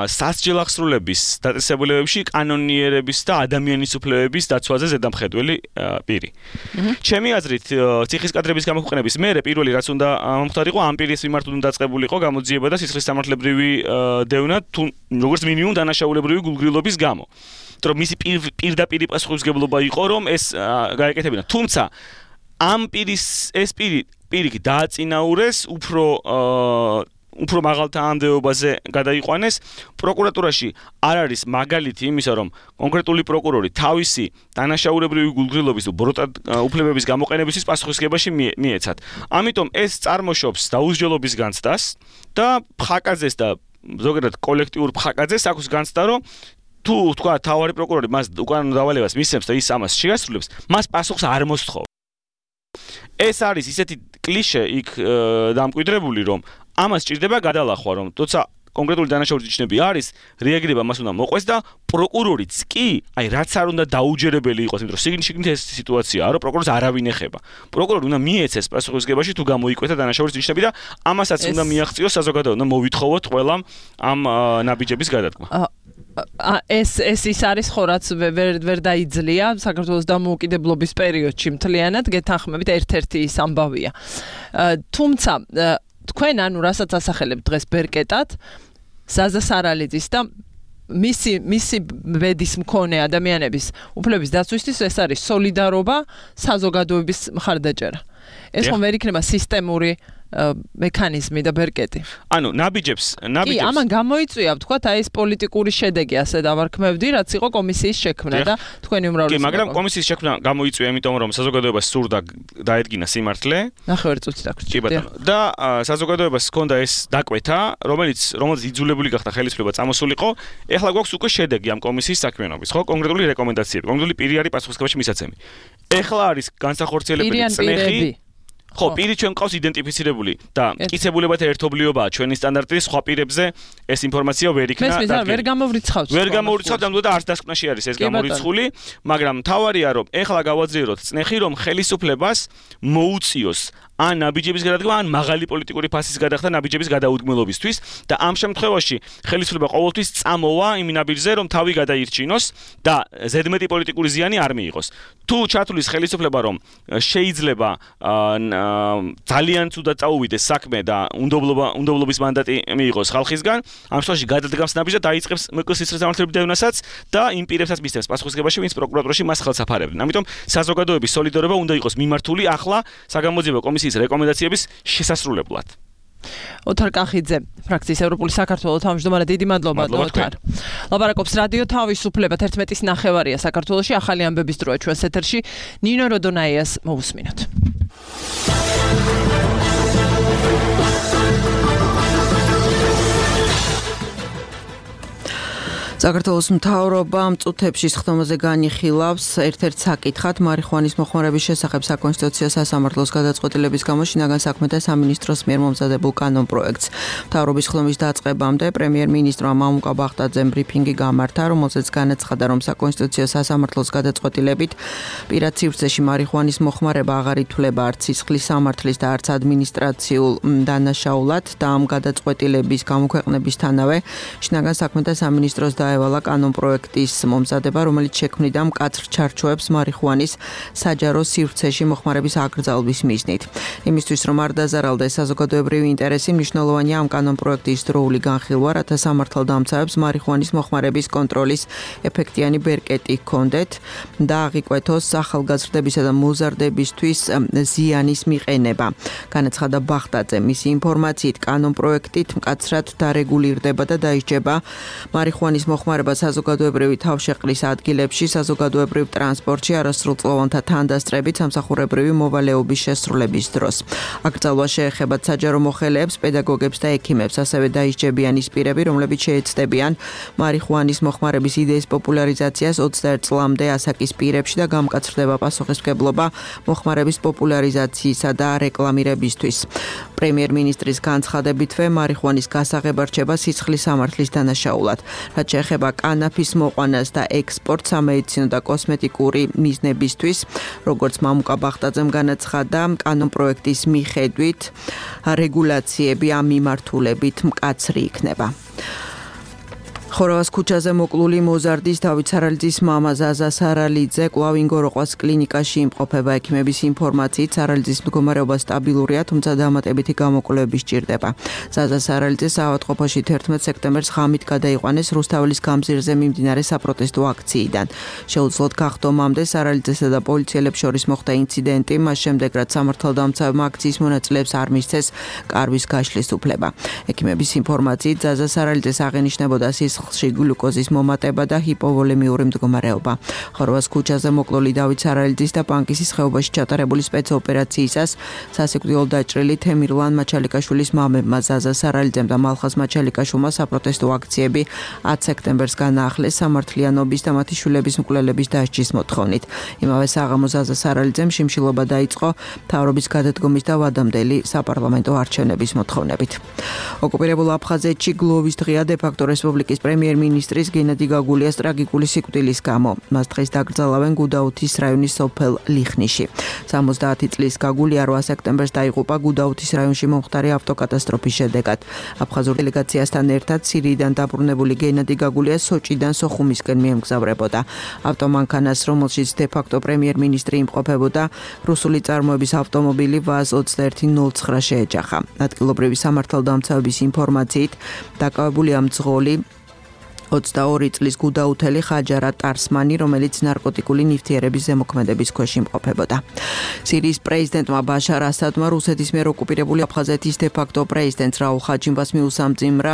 S4: სასჯელ აღსრულების დაწესებულებებში კანონიერების და ადამიანის უფლებების დაცვაზე ზედამხედველი პირი. ჩემი აზრით, ციხის კადრების გამოყენების მერე პირველი რაც უნდა მომხდარიყო ამ პირის მიმართ უნდა დაწყებულიყო გამოძიება და სისხლის სამართლებრივი დევნა თუ როგორც მინიმუმ დანაშაულებრივი გულგრილობის გამო. იმიტომ რომ მისი პირდაპირი პასუხისმგებლობა იყო რომ ეს გაეკეთებინა. თუმცა ამ პირის ეს პირიქით დააწინაურეს უფრო მაღალ თანამდებობაზე გადაიყვანეს პროკურატურაში არ არის მაგალითი იმისა რომ კონკრეტული პროკურორი თავისი დანაშაულებრივი გულგრილობის უფლებების გამოყენებისთვის პასუხისმგებაში მიეცათ. ამიტომ ეს წარმოშობს დაუსჯელობის განცდას და ფხაკაძეს და ზოგადად კოლექტიურ ფხაკაძეს აქვს განცდა რომ თუ თქვა თავარი პროკურორი მას უკანონო დავალებას მისცემს და ის ამას შეასრულებს მას პასუხს არ მოსთხოვ ეს არის ისეთი კლიშე იქ დამკვიდრებული რომ ამას ჭირდება გადალახვა რომ თორსა კონკრეტული დანაშაულის ნიშნები არის რეაგირება მას უნდა მოყვეს და პროკურორიც კი აი რაც არ უნდა დაუჯერებელი იყოს იმიტომ რომ სიგნით ეს სიტუაციაა რომ პროკურორს არავინ ეხება პროკურორი უნდა მიეცეს პასუხისმგებაში თუ გამოიკვეთა დანაშაულის ნიშნები და ამასაც უნდა მიაღწიოს საზოგადოება უნდა მოვითხოვოთ ყველამ ამ ნაბიჯების გადადგმა
S2: ეს ის არის ხო რაც ვერ დაიძლია საქართველოს დამოუკიდებლობის პერიოდში მთლიანად გეთანხმებით ერთ-ერთი ის ამბავია თუმცა თქვენ ანუ რასაც ასახელებთ დღეს ბერკეტად ზაზასარალიძის და მისი ბედის მქონე ადამიანების უფლების დაცვისთვის ეს არის სოლიდარობა საზოგადოების მხარდაჭერა ეს ხომ ვერ იქნება სისტემური მექანიზმი და ბერკეტი.
S4: ანუ ნაბიჯებს
S2: კი, ამან გამოიწვია, ვთქვათ, აი ეს პოლიტიკური შედეგი, ასე დავარქმევდი, რაც იყო კომისიის შექმნა და თქვენი უმრავლესობა.
S4: კი, მაგრამ კომისიის შექმნა გამოიწვია, იმიტომ რომ საზოგადოებას სურდა დაედგინა სიმართლე.
S2: ნახევარი წუთი დაგვრჩა.
S4: კი ბატონო. და საზოგადოებას ჰქონდა ეს დაკვეთა, რომელიც იძულებული გახდა ხელისუფლება წამოსულიყო. ეხლა გვაქვს უკვე შედეგი ამ კომისიის საქმიანობის, ხო? კონკრეტული რეკომენდაციები, კონკრეტული პირი არის პასუხისმგებაში მისაცემი. ეხლა არის განსახორციელებელი წნეხი. ხო, პირი ჩვენ ყავს იდენტიფიცირებული და მტკიცებულებათა ერთობლიობაა ჩვენი სტანდარტის სხვა პირებზე ეს ინფორმაცია ვერ იქნა
S2: და ვერ გამოვრიცხავთ.
S4: ვერ გამოვრიცხავთ, ამბობდა არც დასკვნაში არის ეს გამორიცხული, მაგრამ თავარია რომ ეხლა გავაძლიეროთ წნეხი, რომ ხელისუფლებას მოუწიოს ან ნაბიჯების გადადგმა, ან მაღალი პოლიტიკური ფასის გადახდა ნაბიჯების გადაუდგმელობისთვის და ამ შემთხვევაში ხელისუფლება ყოველთვის წამოვა იმ ნაბიჯზე, რომ თავი გადაირჩინოს და ზედმეტი პოლიტიკური ზიანი არ მიიღოს. თუ ჩათვლის ხელისუფლება, რომ შეიძლება ძალიან ცუდად წაუვიდეს საქმე და უნდობლობის მანდატი მიიღოს ხალხისგან, ამ შემთხვევაში გადადგამს ნაბიჯს და დაიწყებს მკ-ს სამართლებრივ დევნასაც და იმ პირებსაც მისცემს პასუხისმგებაში, ვინც პროკურატურაში მას ხელს აფარებდნენ. ამიტომ საზოგადოების სოლიდარობა უნდა იყოს მიმართული ახლა საგამოძიებო კომისიის რეკომენდაციების შესასრულებლად.
S2: ოთარ კახიძე, ფრაქციის ევროპული საქართველოს თავმჯდომარე, დიდი მადლობა ოთარ. ლაპარაკობს რადიო თავისუფლება 11:09 საქართველოში, ახალი ამბების დროა ჩვენს ეთერში. ნინო როდონაიას მოусმინოთ. საქართველოს მთავრობა მწუთებში სხდომაზე განიხილავს ერთ-ერთ საკითხად მარიხუანის მოხმარების შესახებ საკონსტიტუციო სასამართლოს გადაწყვეტილების გამო შინაგან საქმეთა სამინისტროს მიერ მომზადებულ კანონპროექტს. მთავრობის ხდომის დაწყებამდე პრემიერ-მინისტრმა მამუკა ბახტაძემ ბრიფინგი გამართა, რომელზეც განაცხადა, რომ საკონსტიტუციო სასამართლოს გადაწყვეტილებით პირად სივრცეში მარიხუანის მოხმარება აღარ ითვლება არც სისხლის სამართლის და არც ადმინისტრაციულ დანაშაულად და ამ გადაწყვეტილების გამოქვეყნებისთანავე შინაგან საქმეთა სამინისტროს დაევალა კანონპროექტის მომზადება, რომელიც შექმნიდა მკაცრ ჩარჩოებს მარიხუანის საჯარო სივრცეში მოხმარების აკრძალვის მიზნით. იმისთვის, რომ არ დაზარალდეს საზოგადოებრივი ინტერესი, მნიშვნელოვანია ამ კანონპროექტის დროული განხილვა, რათა სამართალდამცავებს მარიხუანის მოხმარების კონტროლის ეფექტიანი ბერკეტი ჰქონდეთ და აღიკვეთოს ახალგაზრდებისა და მოზარდებისთვის ზიანის მიყენება. განაცხადა ბახტაძე, მისი ინფორმაციით კანონპროექტით მკაცრად დარეგულირდება და დაიჯება მარიხუანის მოხმარება საზოგადოებრივი თავშეყრის ადგილებში, საზოგადოებრივ ტრანსპორტში, არასრულწლოვანთა თანდასწრებით სამსახურებრივი მოვალეობის შესრულების დროს. აკრძალვა შეეხება საჯარო მოხელეებს, პედაგოგებს და ექიმებს, ასევე დაიჯებიან ის პირები, რომლებიც შეეცდებიან მარიხუანის მოხმარების იდეის პოპულარიზაციას 21 წლამდე ასაკის პირებში და გამკაცრდება პასუხისმგებლობა მოხმარების პოპულარიზაციისა და რეკლამირებისთვის. პრემიერ-მინისტრის განცხადებითვე მარიხუანის გასაღება რჩება სისხლის სამართლის დანაშაულად. რაც შეეხება კანაფის მოყვანას და ექსპორტს სამედიცინო და კოსმეტიკური მიზნებისთვის, როგორც მამუკა ბახტაძემ განაცხადა, კანონპროექტის მიხედვით რეგულაციები ამ მიმართულებით მკაცრი იქნება. ხოროვას ქუჩაზე მოკლული მოზარდის დავით სარალიძის მამა ზაზა სარალიძე კვლავ ინგოროყვას კლინიკაში იმყოფება. ექიმების ინფორმაციით სარალიძის მდგომარეობა სტაბილურია, თუმცა დამატებითი გამოკვლევები სჭირდება. ზაზა სარალიძე საავადმყოფოში 11 სექტემბერს ღამით გადაიყვანეს რუსთაველის გამზირზე მიმდინარე საპროტესტო აქციიდან. შეუძლოდ გახდომამდე სარალიძესა და პოლიციელებს შორის მოხდა ინციდენტი, მას შემდეგ რაც სამართალდამცავებმა აქციის მონაწილეებს არ მისცეს კარვის გაშლის უფლება. ექიმების ინფორმაციით ზაზა სარალიძეს აღენიშნებოდა სისხლში გლუკოზის მომატება და ჰიპოვოლემიური მდგომარეობა. ხოროვას ქუჩაზე მოკლული დავით სარალიძის და პანკისის ხეობაში ჩატარებული სპეცოპერაციისას სასიკვდილო დაჭრილი თემირლან მაჩალიკაშვილის მამებმა ზაზა სარალიძემ და მალხაზ მაჩალიკაშვილმა საპროტესტო აქციები 10 სექტემბერს განაახლეს სამართლიანობის და მათი შვილების მკვლელების დასჯის მოთხოვნით. იმავე საღამოს ზაზა სარალიძემ შიმშილობა დაიწყო მთავრობის გადადგომის და ვადამდელი საპარლამენტო არჩევნების მოთხოვნებით. ოკუპირებულ აფხაზეთში გლოვის დღეა დე-ფაქტო რესპუბლიკის პრემიერ-მინისტრის გენადი გაგულიას ტრაგიკული სიკვდილის გამო. მას დღეს დაკრძალავენ გუდაუთის რაიონის სოფელ ლიხნიში. 70 წლის გაგულია 8 სექტემბერს დაიღუპა გუდაუთის რაიონში მომხდარი ავტოკატასტროფის შედეგად. აფხაზურ დელეგაციასთან ერთად სირიიდან დაბრუნებული გენადი გაგულია სოჭიდან სოხუმისკენ მიემგზავრებოდა. ავტომანქანას, რომელშიც დე-ფაქტო პრემიერ-მინისტრი იმყოფებოდა, რუსული წარმოების ავტომობილი VAZ 2109 შეეჯახა. ადგილობრივი სამართალდამცავების ინფორმაციით, დაკავებულია მძღოლი
S5: 22 წლის გუდაუთელი ხაჯარა ტარსმანი, რომელიც ნარკოტიკული ნივთიერების ზემოქმედების ქვეშ იმყოფებოდა. სირიის პრეზიდენტმა ბაშარ ასადმა რუსეთის მიერ ოკუპირებული აფხაზეთის დე-ფაქტო პრეზიდენტს რაულ ხაჯიმბას მიუსამძიმრა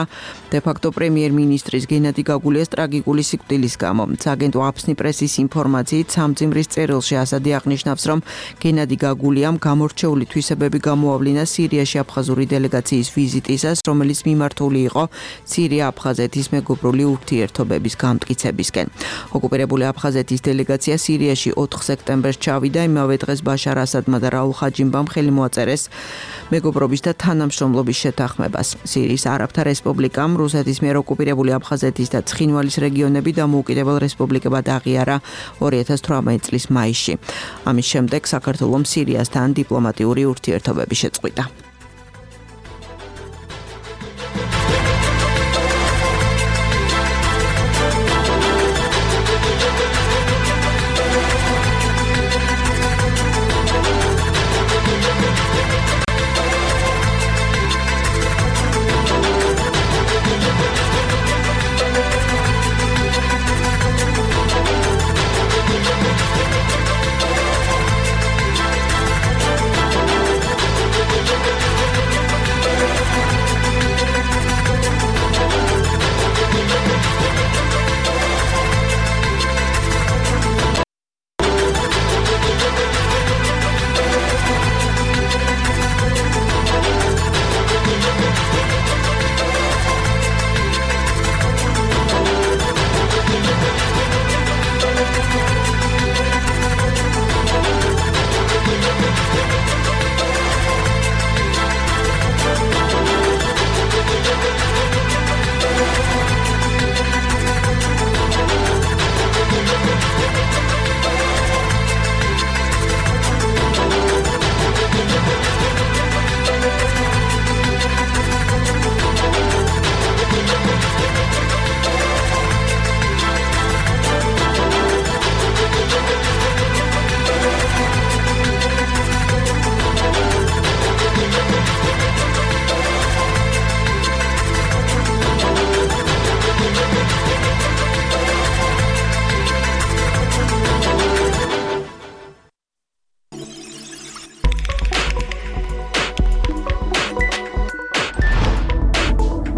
S5: დე-ფაქტო პრემიერ-მინისტრის გენადი გაგულიას ტრაგიკული სიკვდილის გამო. სააგენტო აფსნი პრესის ინფორმაციით სამძიმრის წერილში ასადი აღნიშნავს, რომ გენადი გაგულიამ გამორჩეული თვისებები გამოავლინა სირიაში აფხაზური დელეგაციის ვიზიტისას, რომელიც მიმართული იყო სირია-აფხაზეთის მეგობრული ურთიერთობების გამტკიცებისკენ. ოკუპირებული აფხაზეთის დელეგაცია სირიაში 4 სექტემბერს ჩავიდა, იმავე დღეს ბაშარ ასადმა და რაულ ხაჯიმბამ ხელი მოაწერეს მეგობრობის და თანამშრომლობის შეთანხმებას. სირიის არაბთა რესპუბლიკამ რუსეთის მიერ ოკუპირებული აფხაზეთის და ცხინვალის რეგიონები დამოუკიდებელ რესპუბლიკებად აღიარა 2018 წლის მაისში. ამის შემდეგ საქართველომ სირიასთან დიპლომატიური ურთიერთობები შეწყვიტა.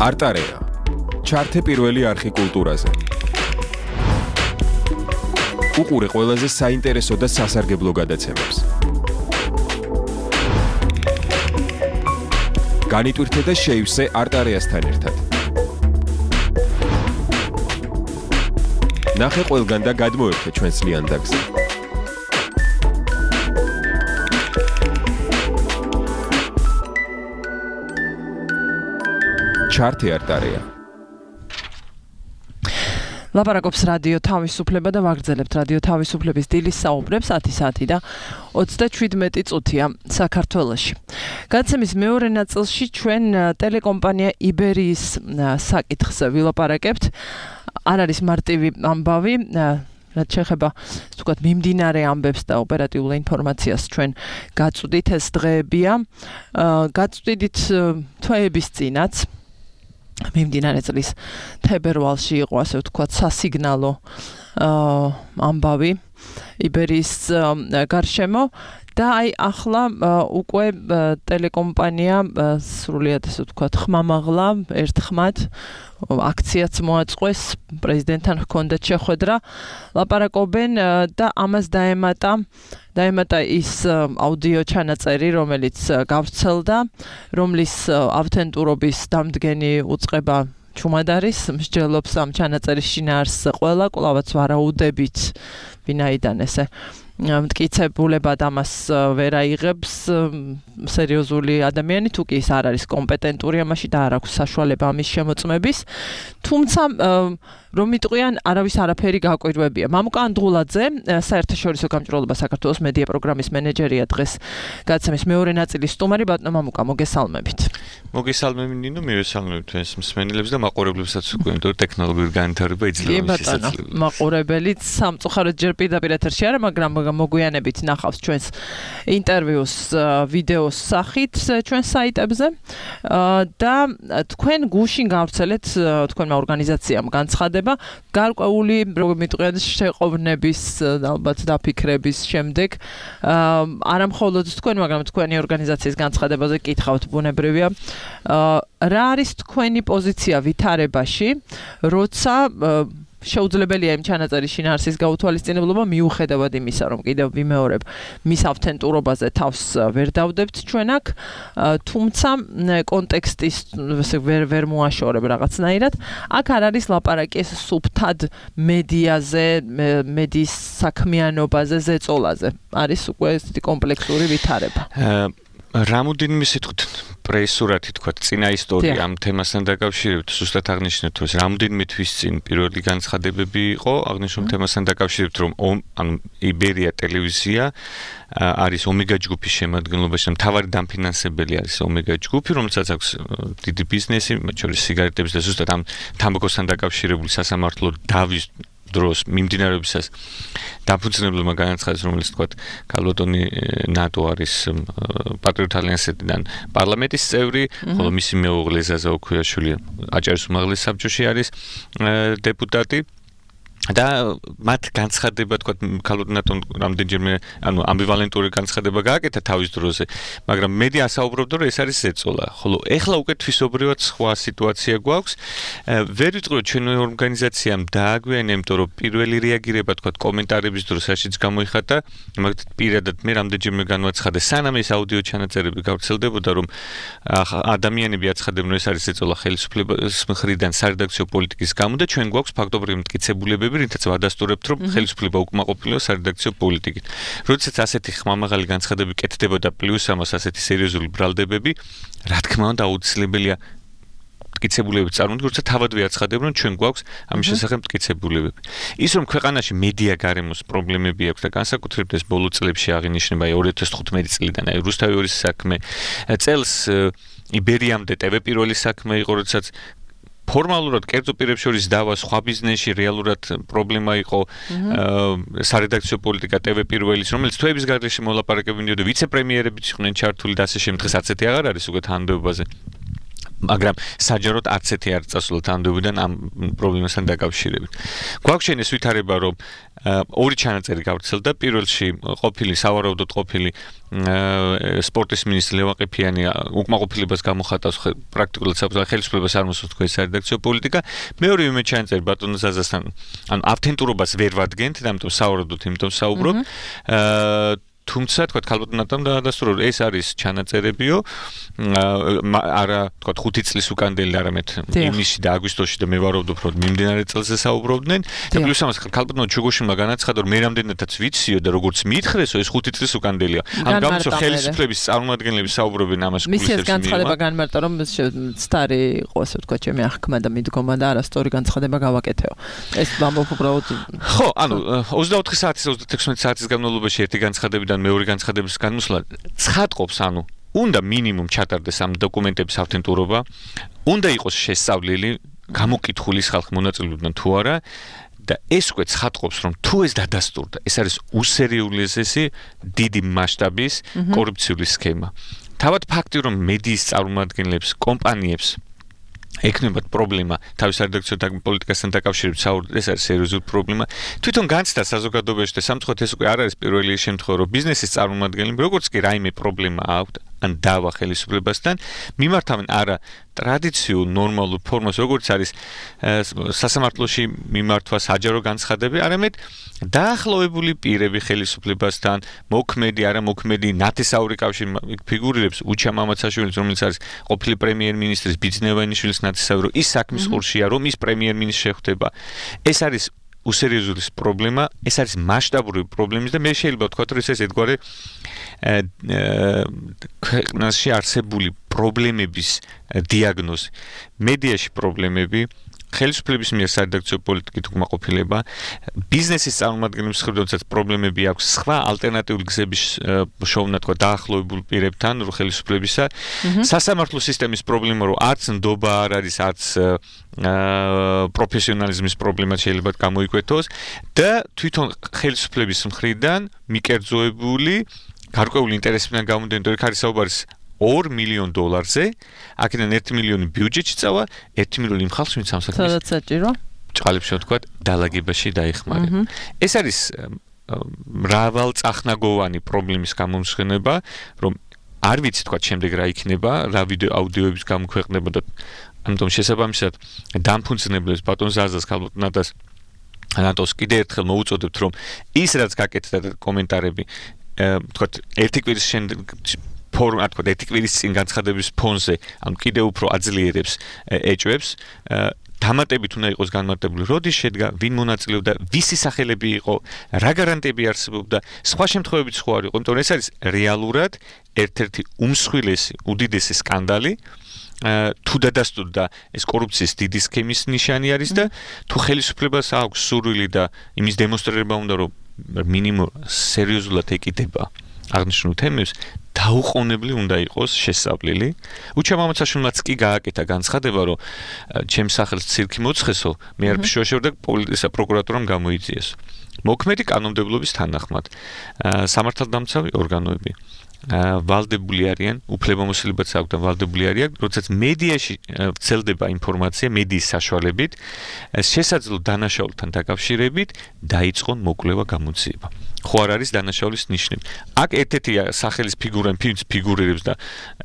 S6: არტარეა. ჩართე პირველი არხი კულტურაზე. უყურე ყველაზე საინტერესო და სასარგებლო გადაცემებს. განიტვირთე და შეივსე არტარეასთან ერთად. ნახე ყველგან და გადმოერთე ჩვენს ლიანდაგზე. ჩართე არტარეა.
S2: ლაპარაკობს რადიო თავისუფლება და ვაგრძელებთ რადიო თავისუფლების დილის საუბრებს 10 საათი და 37 წუთია საქართველოში. გადაცემის მეორე ნაწილში ჩვენ ტელეკომპანია იბერიის საკითხს ვილაპარაკებთ. არ არის მარტივი ამბავი, რაც შეეხება თქვათ მიმდინარე ამბებს და ოპერატიულ ინფორმაციას ჩვენ გაწვდით ეს დღეებია. გაწვდით თვეების წინაც მიმდინარე წლის თებერვალში იყო ასე ვთქვათ სასიგნალო ამბავი იბერიის გარშემო და აი ახლა უკვე ტელეკომპანია სრულიად ასე ვთქვათ ხმამაღლა ერთხმად აქციაც მოაწყვეს პრეზიდენტთან ჰქონდათ შეხვედრა ლაპარაკობენ და ამას დაემატა ის აუდიო ჩანაწერი რომელიც გავრცელდა რომლის ავთენტურობის დამდგენი უწყება ჩუმად არის მსჯელობს ამ ჩანაწერის შინაარსს ყველა კვლავაც ვარაუდებით ვინაიდან ესე მტკიცებულებად ამას ვერ აიღებს სერიოზული ადამიანი თუ კი ის არ არის კომპეტენტური ამაში და არ აქვს საშუალება ამის შემოწმების თუმცა რომ იტყვიან არავის არაფერი გაკვირვებია მამუკა ანდღულაძე საერთაშორისო გამჭვირვალობა საქართველოს მედია პროგრამის მენეჯერია დღეს გადაცემის მეორე ნაწილის სტუმარი ბატონო მამუკა მოგესალმებით
S7: მოგესალმები ნინო მივესალმებ თქვენს მსმენელებს და მაყურებლებსაც უკვე იმიტომ ტექნოლოგიური განვითარება იძლევა მის შესაძლებლობას
S2: მაყურებელიც სამწუხაროდ ჯერ პირდაპირ ეთერში არა მაგრამ მოგვიანებით ნახავს ჩვენს ინტერვიუს ვიდეოს სახით ჩვენ საიტებზე და თქვენ გუშინ გავრცელეთ თქვენმა ორგანიზაციამ განცხადება გარკვეული მიტყვიან შეყოვნების ალბათ დაფიქრების შემდეგ არა მხოლოდ თქვენ მაგრამ თქვენი ორგანიზაციის განცხადებაზე კითხავთ ბუნებრივია რა არის თქვენი პოზიცია ვითარებაში როცა შეუძლებელია იმ ჩანაწერის შინაარსის გაუთვალისწინებლობა მიუხედავად იმისა, რომ კიდევ ვიმეორებ მის ავთენტურობაზე თავს ვერ დავდებთ ჩვენ აქ, თუმცა კონტექსტის ვერ მოაშორებ რაღაცნაირად. აქ არ არის ლაპარაკი ეს სუფთად მედიაზე, მედიის საქმიანობაზე, ზეწოლაზე. არის უკვე ესეთი კომპლექსური ვითარება.
S7: რამოდენიმე სიტყვით პრესურათი თქვა წინა ისტორია ამ თემასთან დაკავშირებით ზუსტად აღნიშნეთ რომ რამოდენიმე თვის წინ პირველი განცხადებები იყო აღნიშნულ თემასთან დაკავშირებით რომ ანუ იბერია ტელევიზია არის ომეგა ჯგუფის შემადგენლობაში მთავარი დამფინანსებელი არის ომეგა ჯგუფი რომელსაც აქვს დიდი ბიზნესი მათ შორის სიგარეტების და ზუსტად ამ თამბაქოსთან დაკავშირებული სასამართლო დავის დროს მიმდინარეობისას დაფუძნებელმა განაცხადეს რომელიც თქვა კალბატონი ნატო არის პატრიოტ ალიანსიდან პარლამენტის წევრი ხოლო მისი მეუღლე ზაზა ოქუიაშვილი აჭარის უმაღლეს საბჭოში არის დეპუტატი და მათ განცხადება თქვა კალბატონ ნატომ რამდენჯერმე ანუ ამბივალენტური განცხადება გააკეთა თავის დროზე მაგრამ მედია ასაუბრებდა რომ ეს არის ზეწოლა ხოლო ეხლა უკვე თვისობრივად სხვა სიტუაცია გვაქვს ვერ ვიტყვი ჩვენი ორგანიზაციამ დააგვიანა იმიტომ რომ პირველი რეაგირება თქვა კომენტარების დროს რაშიც გამოიხატა მაგათ პირადად მე რამდენჯერმე განვაცხადე სანამ ეს აუდიო ჩანაწერები გავრცელდებოდა რომ ადამიანები აცხადებენ რომ ეს არის ზეწოლა ხელისუფლების მხრიდან სარედაქციო პოლიტიკის გამო და ჩვენ გვაქვს ფაქტობრივი მტკიცებულებები რითაც ვადასტურებთ რომ ხელისუფლება უკმაყოფილოა სარედაქციო პოლიტიკით. როდესაც ასეთი ხმამაღალი განცხადები კეთდებოდა პლუს ამას ასეთი სერიოზული ბრალდებები, რა თქმა უნდა აუცილებელია მტკიცებულებები წარმოდგინოთ, როცა თავად ვიაცხადებთ რომ ჩვენ გვაქვს ამის შესახებ მტკიცებულებები. ის რომ ქვეყანაში მედია გარემოს პრობლემები აქვს და განსაკუთრებით ეს ბოლო წლებში აღინიშნება 2015 წლიდან აი რუსთავის საქმე წელს იბერიამდე ტv პირველი საქმე იყო როდესაც ფორმალურად კერძო პირებს შორის დავა სხვა ბიზნესში რეალურად პრობლემა იყო სარედაქციო პოლიტიკა ტv პირველის რომელიც თვეების გარეშე მოლაპარაკებინდიო და ვიცე-პრემიერებიც იყვნენ ჩართული და ასე შემდეგ დღეს არც ერთი აღარ არის უკვე თანამდებობაზე მაგრამ საჯაროდ არც ერთი არ წასულა თანამდებობიდან ამ პრობლემასთან დაკავშირებით. გვაქვს ვითარება რომ ორი ჩანაწერი გავრცელდა პირველში ყოფილი სავარაუდოდ ყოფილი სპორტის მინისტრი ლევან ყიფიანი უკმაყოფილებას გამოხატავს პრაქტიკულად ხელისუფლებას არ მოსწონს თქვენი სარედაქციო პოლიტიკა მეორე ვიმე ჩანაწერი ბატონო ზაზასთან ანუ ავთენტურობას ვერ ვადგენთ და ამიტომ სავარაუდოდ იმიტომ საუბრობ თუმცა თქვა კალბატონ ნატომ დაადასტურა რომ ეს არის ჩანაწერებიო არა თქვა 5 წლის უკანდელი არამედ ივნისში და აგვისტოში და მე ვარაუდობ რომ მიმდინარე წელზე საუბრობდნენ და პლუს ამას კალბატონ ჩუგოშინმა განაცხადა რომ მე რამდენადაც ვიციო და როგორც მიითხრესო ეს 5 წლის უკანდელია ამ გამოსო ხელისუფლების წარმომადგენლები საუბრობენ ამას
S2: მის განცხადება განმარტა რომ სტარი იყო ასე თქვა ჩემი აღქმა და მიდგომა და არასწორი განცხადება გავაკეთეო ეს ამბობ უბრალოდ
S7: ხო ანუ 24 საათის 36 საათის განმავლობაში ერთი განცხადებიდან მეორე განცხადების განმოსვლა ცხადყოფს ანუ უნდა მინიმუმ ჩატარდეს ამ დოკუმენტების ავთენტურობა უნდა იყოს შესწავლილი გამოკითხული ხალხი მონაწილეობდნენ თუ არა და ეს უკვე ცხადყოფს რომ თუ ეს დადასტურდა ეს არის უსერიოზესი დიდი მასშტაბის კორუფციული სქემა თავად ფაქტი რომ მედიის წარმომადგენლებს კომპანიებს ეკნებათ პრობლემა თავის რედაქციო პოლიტიკასთან დაკავშირებით საუბრობთ ეს არის სერიოზული პრობლემა თვითონ განცდა საზოგადოებაში და სამწუხაროდ ეს უკვე არ არის პირველი შემთხვევა რომ ბიზნესის წარმომადგენლები როგორც კი რაიმე პრობლემა აქვთ ან დავა ხელისუფლებასთან მიმართავენ არა ტრადიციულ ნორმალურ ფორმას როგორც არის სასამართლოში მიმართვა საჯარო განცხადები არამედ დაახლოებული პირები ხელისუფლებასთან მოქმედი არა მოქმედი ნათესაური კავშირი ფიგურირებს უჩა მამაცაშვილის რომელიც არის ყოფილი პრემიერ-მინისტრის ბიძნევანიშვილის ნათესაური ის საქმის ყურშია რომ ის პრემიერ-მინისტრი შეხვდება ეს არის უსერიოზული პრობლემა ეს არის მასშტაბური პრობლემა და მე შეიძლება ვთქვა რომ ეს ერთგვარი ქვეყანაში არსებული პრობლემების დიაგნოზი მედიაში პრობლემები ხელისუფლების მიერ სადედაქციო პოლიტიკით უკმაყოფილება, ბიზნესის წარმომადგენლების მხრიდან როდესაც პრობლემები აქვს, სხვა ალტერნატიული გზების შოვნა თქვა დაახლოებულ პირებთან ხელისუფლებისა, სასამართლო სისტემის პრობლემა რომ არც ნდობა არ არის, არც პროფესიონალიზმის პრობლემა შეიძლება გამოიკვეთოს და თვითონ ხელისუფლების მხრიდან მიკერძოებული გარკვეული ინტერესებიდან გამომდინარე, რომ არის საუბარი $2 მილიონ, აქედან 1 მილიონი ბიუჯეტში წავა, 1 მილიონი იმ ხალხს, ვინც ამ საქმეს
S2: სადაც საჭირო
S7: ჭყალებში ვთქვათ, დალაგებაში დაიხმარება. ეს არის მრავალწახნაგოვანი პრობლემის გამომხსენება, რომ არ ვიცი თქვა შემდეგ რა იქნება, რა ვიდეო აუდიოების გამოქვეყნება და ამიტომ შესაბამისად დამფუძნებლებს ბატონ ზაზას ქალბატონს ნატოს კიდე ერთხელ მოუწოდებთ, რომ ის რაც გაკეთდა და კომენტარები თქვა ერთი კვირის ფორმა თქვა ერთი კვირის წინ განცხადების ფონზე, ანუ კიდე უფრო აძლიერებს ეჭვებს დამატებით უნდა იყოს განმარტებული, როდის შედგა, ვინ მონაწილეობდა, ვისი სახელები იყო, რა გარანტიები არსებობდა, სხვა შემთხვევებიც ხო არ იყო, იმიტომ რომ ეს არის რეალურად ერთ-ერთი უმსხვილესი, უდიდესი სკანდალი. თუ დადასტურდა ეს კორუფციის დიდი სქემის ნიშანი არის და თუ ხელისუფლებას აქვს სურვილი და იმის დემონსტრირება უნდა რომ მინიმუმ სერიოზულად ეკიდება აღნიშნულ თემებს დაუყოვნებლი უნდა იყოს შესწავლილი. უჩა მამაცაშვილმაც კი გააკეთა განცხადება, რომ ჩემს სახელს ცირკი მოცხესო, მე არ ფშოშევ და პოლიცია პროკურატურამ გამოიწიეს. მოქმედი კანონმდებლობის თანახმად სამართალდამცავი ორგანოები ვალდებული არიან, უფლებამოსილებაც აქვთ და ვალდებული არიან, როდესაც მედიაში ვრცელდება ინფორმაცია მედიის საშუალებით, შესაძლო დანაშაულთან დაკავშირებით დაიწყონ მოკვლევა გამოძიება. ხო არ არის დანაშაულის ნიშნები. აქ ერთ-ერთი სახელის ფიგურირებს და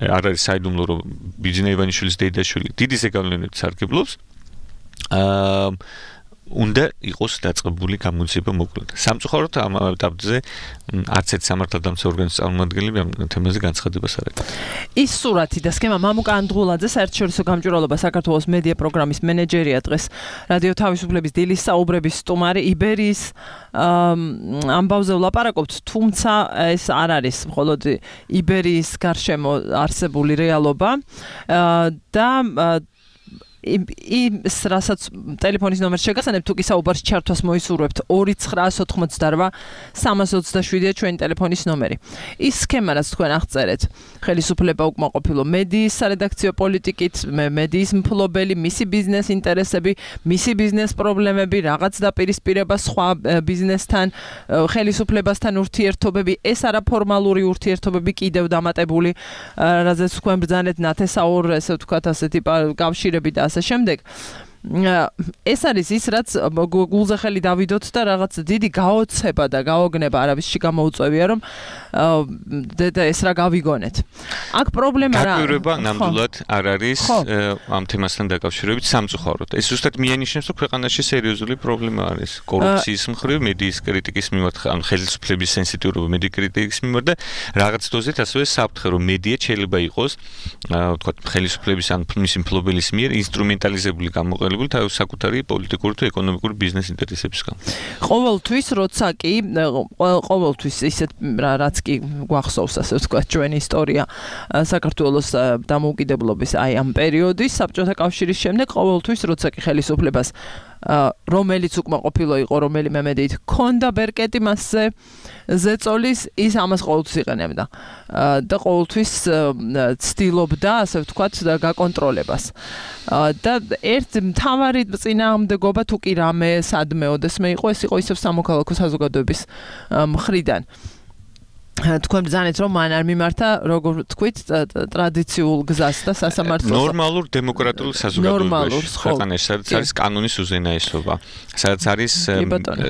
S7: არ არის საიდუმლო, რომ ბიძინა ივანიშვილის დეიდაშვილი დიდი ზეგავლენებით სარგებლობს. უნდა იყოს დაწყებული გამოძიება მოკლედ. სამწუხაროდ ამ ეტაპზე არც ერთ სამართალდამცავ ორგანოს წარმომადგენლები ამ თემაზე განცხადებას არ აკეთებენ.
S2: ის სურათი და სქემა მამუკა ანდღულაძე საერთაშორისო გამჭვირვალობა საქართველოს მედია პროგრამის მენეჯერია დღეს რადიო თავისუფლების დილის საუბრების სტუმარი იბერიის ამბავზე ვლაპარაკობთ, თუმცა ეს არ არის მხოლოდ იბერიის გარშემო არსებული რეალობა და ის რასაც ტელეფონის ნომერს შეგასანებთ, თუ კი საუბარს ჩართვას მოისურვებთ 298-327-327-ია ჩვენი ტელეფონის ნომერი. ის სქემა, რაც თქვენ აღწერეთ, ხელისუფლება უკმაყოფილო მედიის სარედაქციო პოლიტიკით, მედიის მფლობელი, მისი ბიზნეს ინტერესები, მისი ბიზნეს პრობლემები, რაღაც დაპირისპირება სხვა ბიზნესთან, ხელისუფლებასთან ურთიერთობები, ეს არაფორმალური ურთიერთობები კიდევ დამატებული, რაზეც თქვენ ბრძანეთ ნათესაურ, ესე ვთქვათ, ასეთი კავშირები და ასე შემდეგ. ეს არის ის, რაც გულზე ხელი დავიდოთ და რაღაც დიდი გაოცება და გაოგნება არავისში გამოუწევია, რომ და ეს რა გავიგონეთ. აქ პრობლემა რა?
S7: გაკვირვება ნამდვილად არ არის ამ თემასთან დაკავშირებით სამწუხაროდ. ეს ზუსტად მიანიშნებს, რომ ქვეყანაში სერიოზული პრობლემა არის. კორუფციის მხრივ, მედიის კრიტიკის მიმართ, ანუ ხელისუფლების სენსიტიურობა მედიის კრიტიკის მიმართ და რაღაც დოზით ასევე საფრთხე, რომ მედია შეიძლება იყოს, ვთქვათ, ხელისუფლების ან მისი მფლობელის მიერ ინსტრუმენტალიზებული გამოყენებული საკუთარი პოლიტიკური თუ ეკონომიკური ბიზნეს ინტერესების გამო.
S2: ყოველთვის როცა კი ყოველთვის ისეთ რაც კი გვახსოვს, ასე ვთქვათ, ჩვენი ისტორია საქართველოს დამოუკიდებლობის აი ამ პერიოდის საბჭოთა კავშირის შემდეგ ყოველთვის როცა კი ხელისუფლებას რომელიც უკმაყოფილო იყო, რომელიმე მედიით ქონდა ბერკეტი მასზე ზეწოლის, ის ამას ყოველთვის იყენებდა და ყოველთვის ცდილობდა, ასე ვთქვათ, გაკონტროლებას. და ერთ მთავარი წინააღმდეგობა თუ კი რამე სადმეოდეს მე იყო, ეს იყო ისევ სამოქალაქო საზოგადოების მხრიდან. თქვენ ბრძანეთ, რომ მან არ მიმართა, როგორ თქვით, ტრადიციულ გზას და სასამართლოს.
S7: ნორმალურ დემოკრატიულ საზოგადოებაში, ქვეყანაში, სადაც არის კანონის უზენაესობა, სადაც არის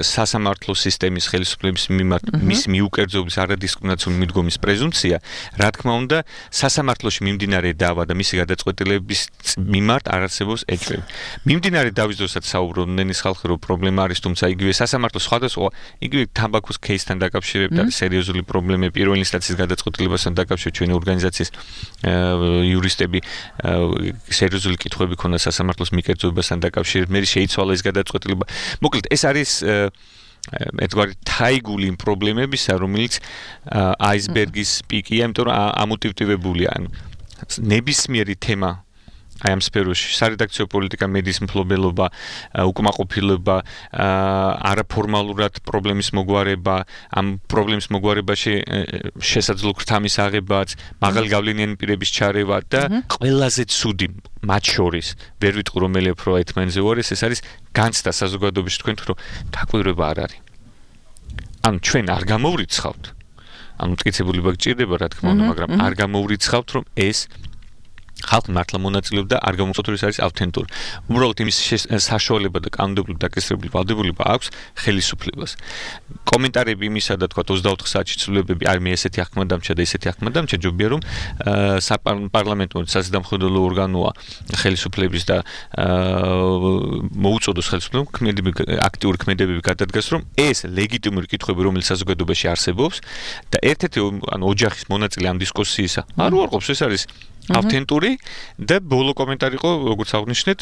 S7: სასამართლო სისტემის ხელისუფლების მიმართ მის მიუკერძოების არადისკრიმინაციული მიდგომის პრეზუმპცია, რა თქმა უნდა, სასამართლოში მიმდინარე დავა და მისი გადაწყვეტილების მიმართ არ არსებობს ეჭვები. მიმდინარე დავის დროსაც საუბრობდნენ ის ხალხი, რომ პრობლემა არის, თუმცა იგივე სასამართლო სხვადასხვა იგივე თამბაქოს кейსთან დაკავშირებით არის სერიოზული პრობლემა. პირველი ინსტანციის გადაწყვეტილებასთან დაკავშირებით ჩვენი ორგანიზაციის იურისტები სერიოზული კითხვები ქონდა სასამართლოს მიკერძოებასთან დაკავშირებით. მე შეიცვალა ეს გადაწყვეტილება. მოკლედ, ეს არის ერთგვარი თაიგული პრობლემებისა, რომელიც აისბერგის პიკია, იმიტომ რომ ამოტივტივებულია. ნებისმიერი თემა აი ამ სფეროში სარედაქციო პოლიტიკა, მედიის მფლობელობა, უკმაყოფილება, არაფორმალურად პრობლემის მოგვარება, ამ პრობლემის მოგვარებაში შესაძლო ქრთამის აღებაც, მაღალი გავლენიანი პირების ჩარევა და ყველაზე ცუდი მათ შორის ვერ ვიტყვი რომელი უფრო ერთმანეთზე უარეს, ეს არის განცდა საზოგადოებაში თქვენ თუ რომ დაკვირვება არ არის. ანუ ჩვენ არ გამოვრიცხავთ. ანუ მტკიცებულება გჭირდება რა თქმა უნდა, მაგრამ არ გამოვრიცხავთ რომ ეს ხალხი მართლა მონაწილეობდა და არ გამოწოთ რომ ეს არის ავთენტური. უბრალოდ იმის საშუალება და კანონმდებლობით დაკისრებული ვალდებულება აქვს ხელისუფლებას. კომენტარები იმისა და თქვა 24 საათში ცვლილებები არ მე ესეთი აღქმა დამჭა და ესეთი აღქმა დამჭა ჯობია რომ საპარლამენტო საზედამხედველო ორგანოა ხელისუფლების და მოუწოდოს ხელისუფლებამ აქტიური ქმედებები გადადგას რომ ეს ლეგიტიმური კითხვები რომელიც საზოგადოებაში არსებობს და ერთ-ერთი ანუ ოჯახის მონაწილე ამ დისკუსიისა არ უარყოფს ეს არის ავთენტური და ბოლო კომენტარი იყო როგორც აღნიშნეთ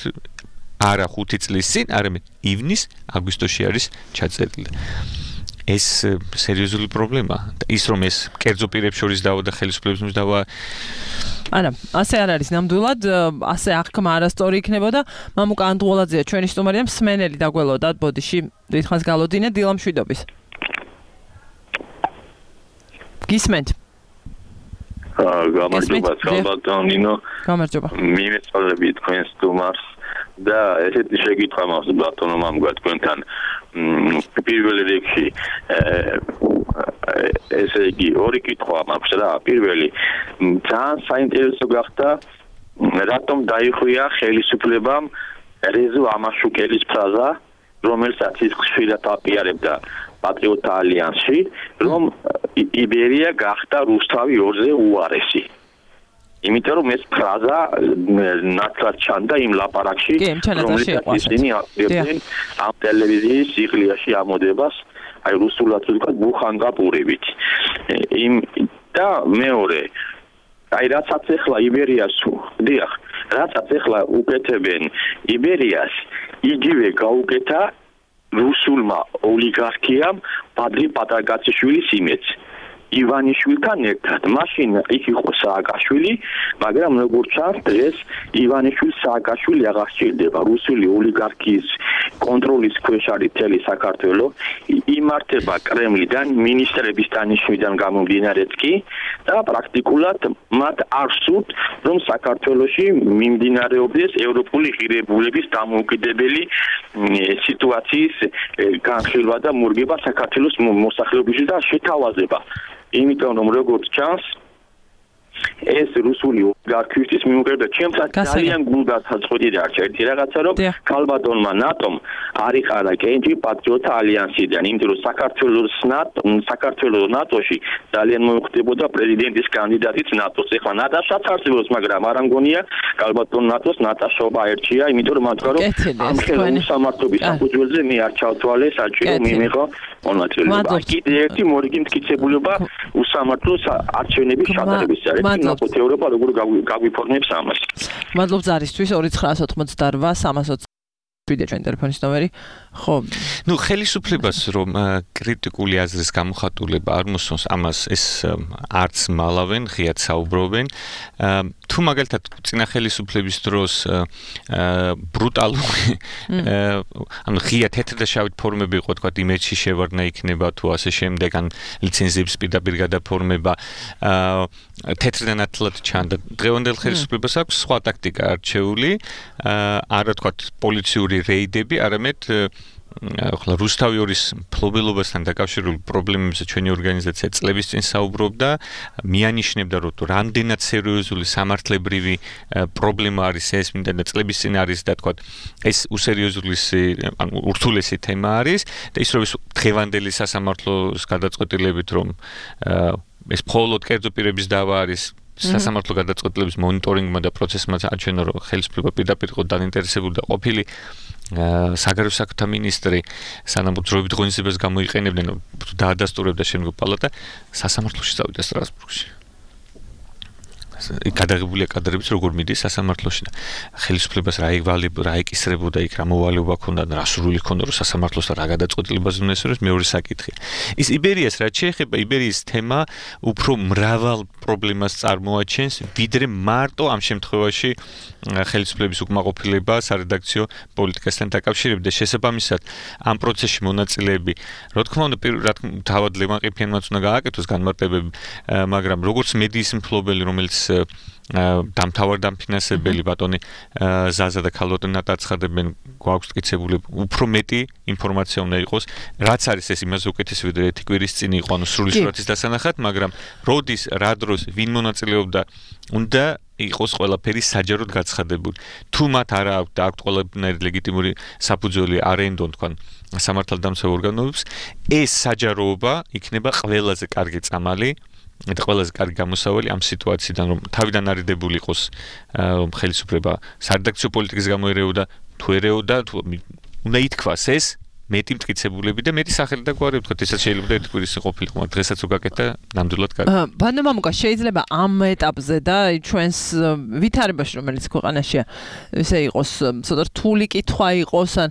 S7: არა 5 წლის წინ არამედ ივნის-აგვისტოში არის ჩაწერილი. ეს სერიოზული პრობლემაა და ის რომ ეს კერძო პირებს შორის დავა და ხელისუფლების შორის დავა
S2: არა, ასე არ არის ნამდვილად, ასე აღქმა არასწორი იქნებოდა. მამუკა ანდღოლაძეა ჩვენი სტუმარია, მსმენელი დაგველოდათ ბოდიში დიდხანს გალოდინე დილამშვიდობის. გისმენთ?
S8: გამარჯობა ბატონო ნინო.
S2: გამარჯობა.
S8: მიმეწოდები თქვენ სტუმარს და ესეთი შეკითხვა მაქვს ბატონო მამუკა თქვენთან პირველ რიგში ესე იგი ორი კითხვა მაქვს რა. პირველი ძალიან საინტერესო გახდა რატომ დაიხვია ხელისუფლებამ რეზო ამაშუკელის ფრაზა რომელსაც ის ხშირად აპირებდა პატრიოტთა ალიანსში რომ იბერია გახდა რუსთავი 2-ზე უარესი. იმიტომ რომ ეს ფრაზა ნათლად ჩანდა იმ ლაპარაკში რომელიც ისინი აპირებდნენ ამ ტელევიზიის სიყვარიაში ამოდებას აი რუსულად ვთქვათ ბუხანგაპურებით. და მეორე აი რაცაც ახლა იბერიას დიახ რაცაც ახლა უკეთებენ იბერიას იგივე გაუკეთა რუსულმა ოლიგარქიამ ბადრი პატარკაციშვილის იმედს ივანიშვილთან ერთად. მაშინ იქ იყო სააკაშვილი, მაგრამ როგორც ჩანს დღეს ივანიშვილს სააკაშვილი აღარ სჭირდება. რუსული ოლიგარქიის კონტროლის ქვეშ არის მთელი საქართველო. იმართება კრემლიდან, მინისტრების დანიშვნიდან გამომდინარეც კი და პრაქტიკულად მათ არ სურთ, რომ საქართველოში მიმდინარეობდეს ევროპული ღირებულების დამოუკიდებელი სიტუაციის განხილვა და მორგება საქართველოს მოსახლეობისთვის და შეთავაზება. იმიტომ რომ როგორც ჩანს ეს რუსული ოლიგარქისთვის მიუხედავად ჩემთან ძალიან გულგას წყვეტი დარჩა ერთი რაღაცა რომ ქალბატონმა ნატომ არიყარა კენჭი პატრიოტთა ალიანსიდან იმიტომ რომ საქართველოს ნატოში ძალიან მოიხდებოდა პრეზიდენტის კანდიდატიც ნატოს. ეხლა ნატაშაც არსებობს მაგრამ არ ამგონია ქალბატონ ნატოს ნატაშობა ერჩია იმიტომ რომ მათქვა რომ ამ ხელისამართლობის საფუძველზე მე არ ჩავთვალე საჭირო მიმიღო მონაწილეობა. კიდე ერთი მორიგი მტკიცებულება უსამართლოს არჩევნების ჩატარების არის. ნაკოთ ევროპა როგორ გაგვიფორმებს ამას.
S2: მადლობ ზარისთვის 2988 320 ვიდე ჩვენ ტელეფონის ნომერი. ხო,
S7: ნუ ხელისუფლებას რომ კრიტიკული აზრის გამოხატულება არ მოსწონს, ამას ეს არც მალავენ, ღიად საუბრობენ. თუ მაგალითად წინა ხელისუფლების დროს ბრუტალური ანუ ღია თეთრ და შავით ფორმები იყო, თქვა იმედში შევარდნა იქნება თუ ასე შემდეგ, ან ლიცენზიების პირდაპირ გადაფორმება თეთრ და ნათლად ჩანდა. დღევანდელ ხელისუფლებას აქვს სხვა ტაქტიკა არჩეული, არა თქვა პოლიციური რეიდები, არამედ ახლა რუსთავი 2-ის მფლობელობასთან დაკავშირებული პრობლემებზე ჩვენი ორგანიზაცია წლების წინ საუბრობდა, მიანიშნებდა რომ რამდენად სერიოზული სამართლებრივი პრობლემა არის ეს, მინდა და წლების წინ არის და თქვა ეს უსერიოზული ანუ ურთულესი თემა არის და ის რომ დღევანდელი სასამართლოს გადაწყვეტილებით რომ ეს მხოლოდ კერძო პირების დავა არის სასამართლო გადაწყვეტილების მონიტორინგმა და პროცესმა აჩვენა რომ ხელისუფლება პირდაპირ იყო დაინტერესებული და ყოფილი საგარეო საქმეთა მინისტრი სანამ უძროებით ღონისძიებას გამოიყენებდნენ დაადასტურებდა შემდგომ პალატა სასამართლოში წავიდა სტრასბურგში. გადაღებულია კადრებიც როგორ მიდის სასამართლოში და ხელისუფლებას რა ეკისრებოდა იქ რა მოვალეობა ქონდა და რა სურვილი ქონდა რომ სასამართლოს რა გადაწყვეტილებაზე უნდა ესწროს მეორე საკითხია. ის იბერიას რაც შეეხება იბერიის თემა უფრო მრავალ პრობლემას წარმოაჩენს ვიდრე მარტო ამ შემთხვევაში ხელისუფლების უკმაყოფილება სარედაქციო პოლიტიკასთან დაკავშირებით და შესაბამისად ამ პროცესში მონაწილეები რა თქმა უნდა თავად ლევან ყიფიანმაც უნდა გააკეთოს განმარტებები მაგრამ როგორც მედიის მფლობელი რომელიც დამთავარ დამფინანსებელი ბატონი ზაზა და ქალბატონი ნატაცხადებენ გვაქვს მტკიცებული უფრო მეტი ინფორმაცია უნდა იყოს რაც არის ეს იმას უკეთესი ვიდრე ერთი კვირის წინ იყო ანუ სრული სურათის დასანახად მაგრამ როდის რა დროს ვინ მონაწილეობდა უნდა იყოს ყველაფერი საჯაროდ გაცხადებული თუ მათ არა აქვთ და აქვთ ყველაფერი ლეგიტიმური საფუძველი არენდონ თქვენ სამართალდამცავ ორგანოებს ეს საჯაროობა იქნება ყველაზე კარგი წამალი და ყველაზე კარგი გამოსავალი ამ სიტუაციიდან რომ თავიდან არიდებული იყოს რომ ხელისუფლება სარედაქციო პოლიტიკის გამო ერეოდა თუ ერეოდა თუ უნდა ითქვას ეს მეტი მტკიცებულები და მეტი სახელი და გვარი ვთქვათ ესაც შეიძლება ერთი კვირის ყოფილიყო მაგრამ დღესაც რო გაკეთდა ნამდვილად კარგი
S2: ბანდა მამუკა შეიძლება ამ ეტაპზე და ჩვენს ვითარებაში რომელიც ქვეყანაშია ესე იყოს ცოტა რთული კითხვა იყოს ან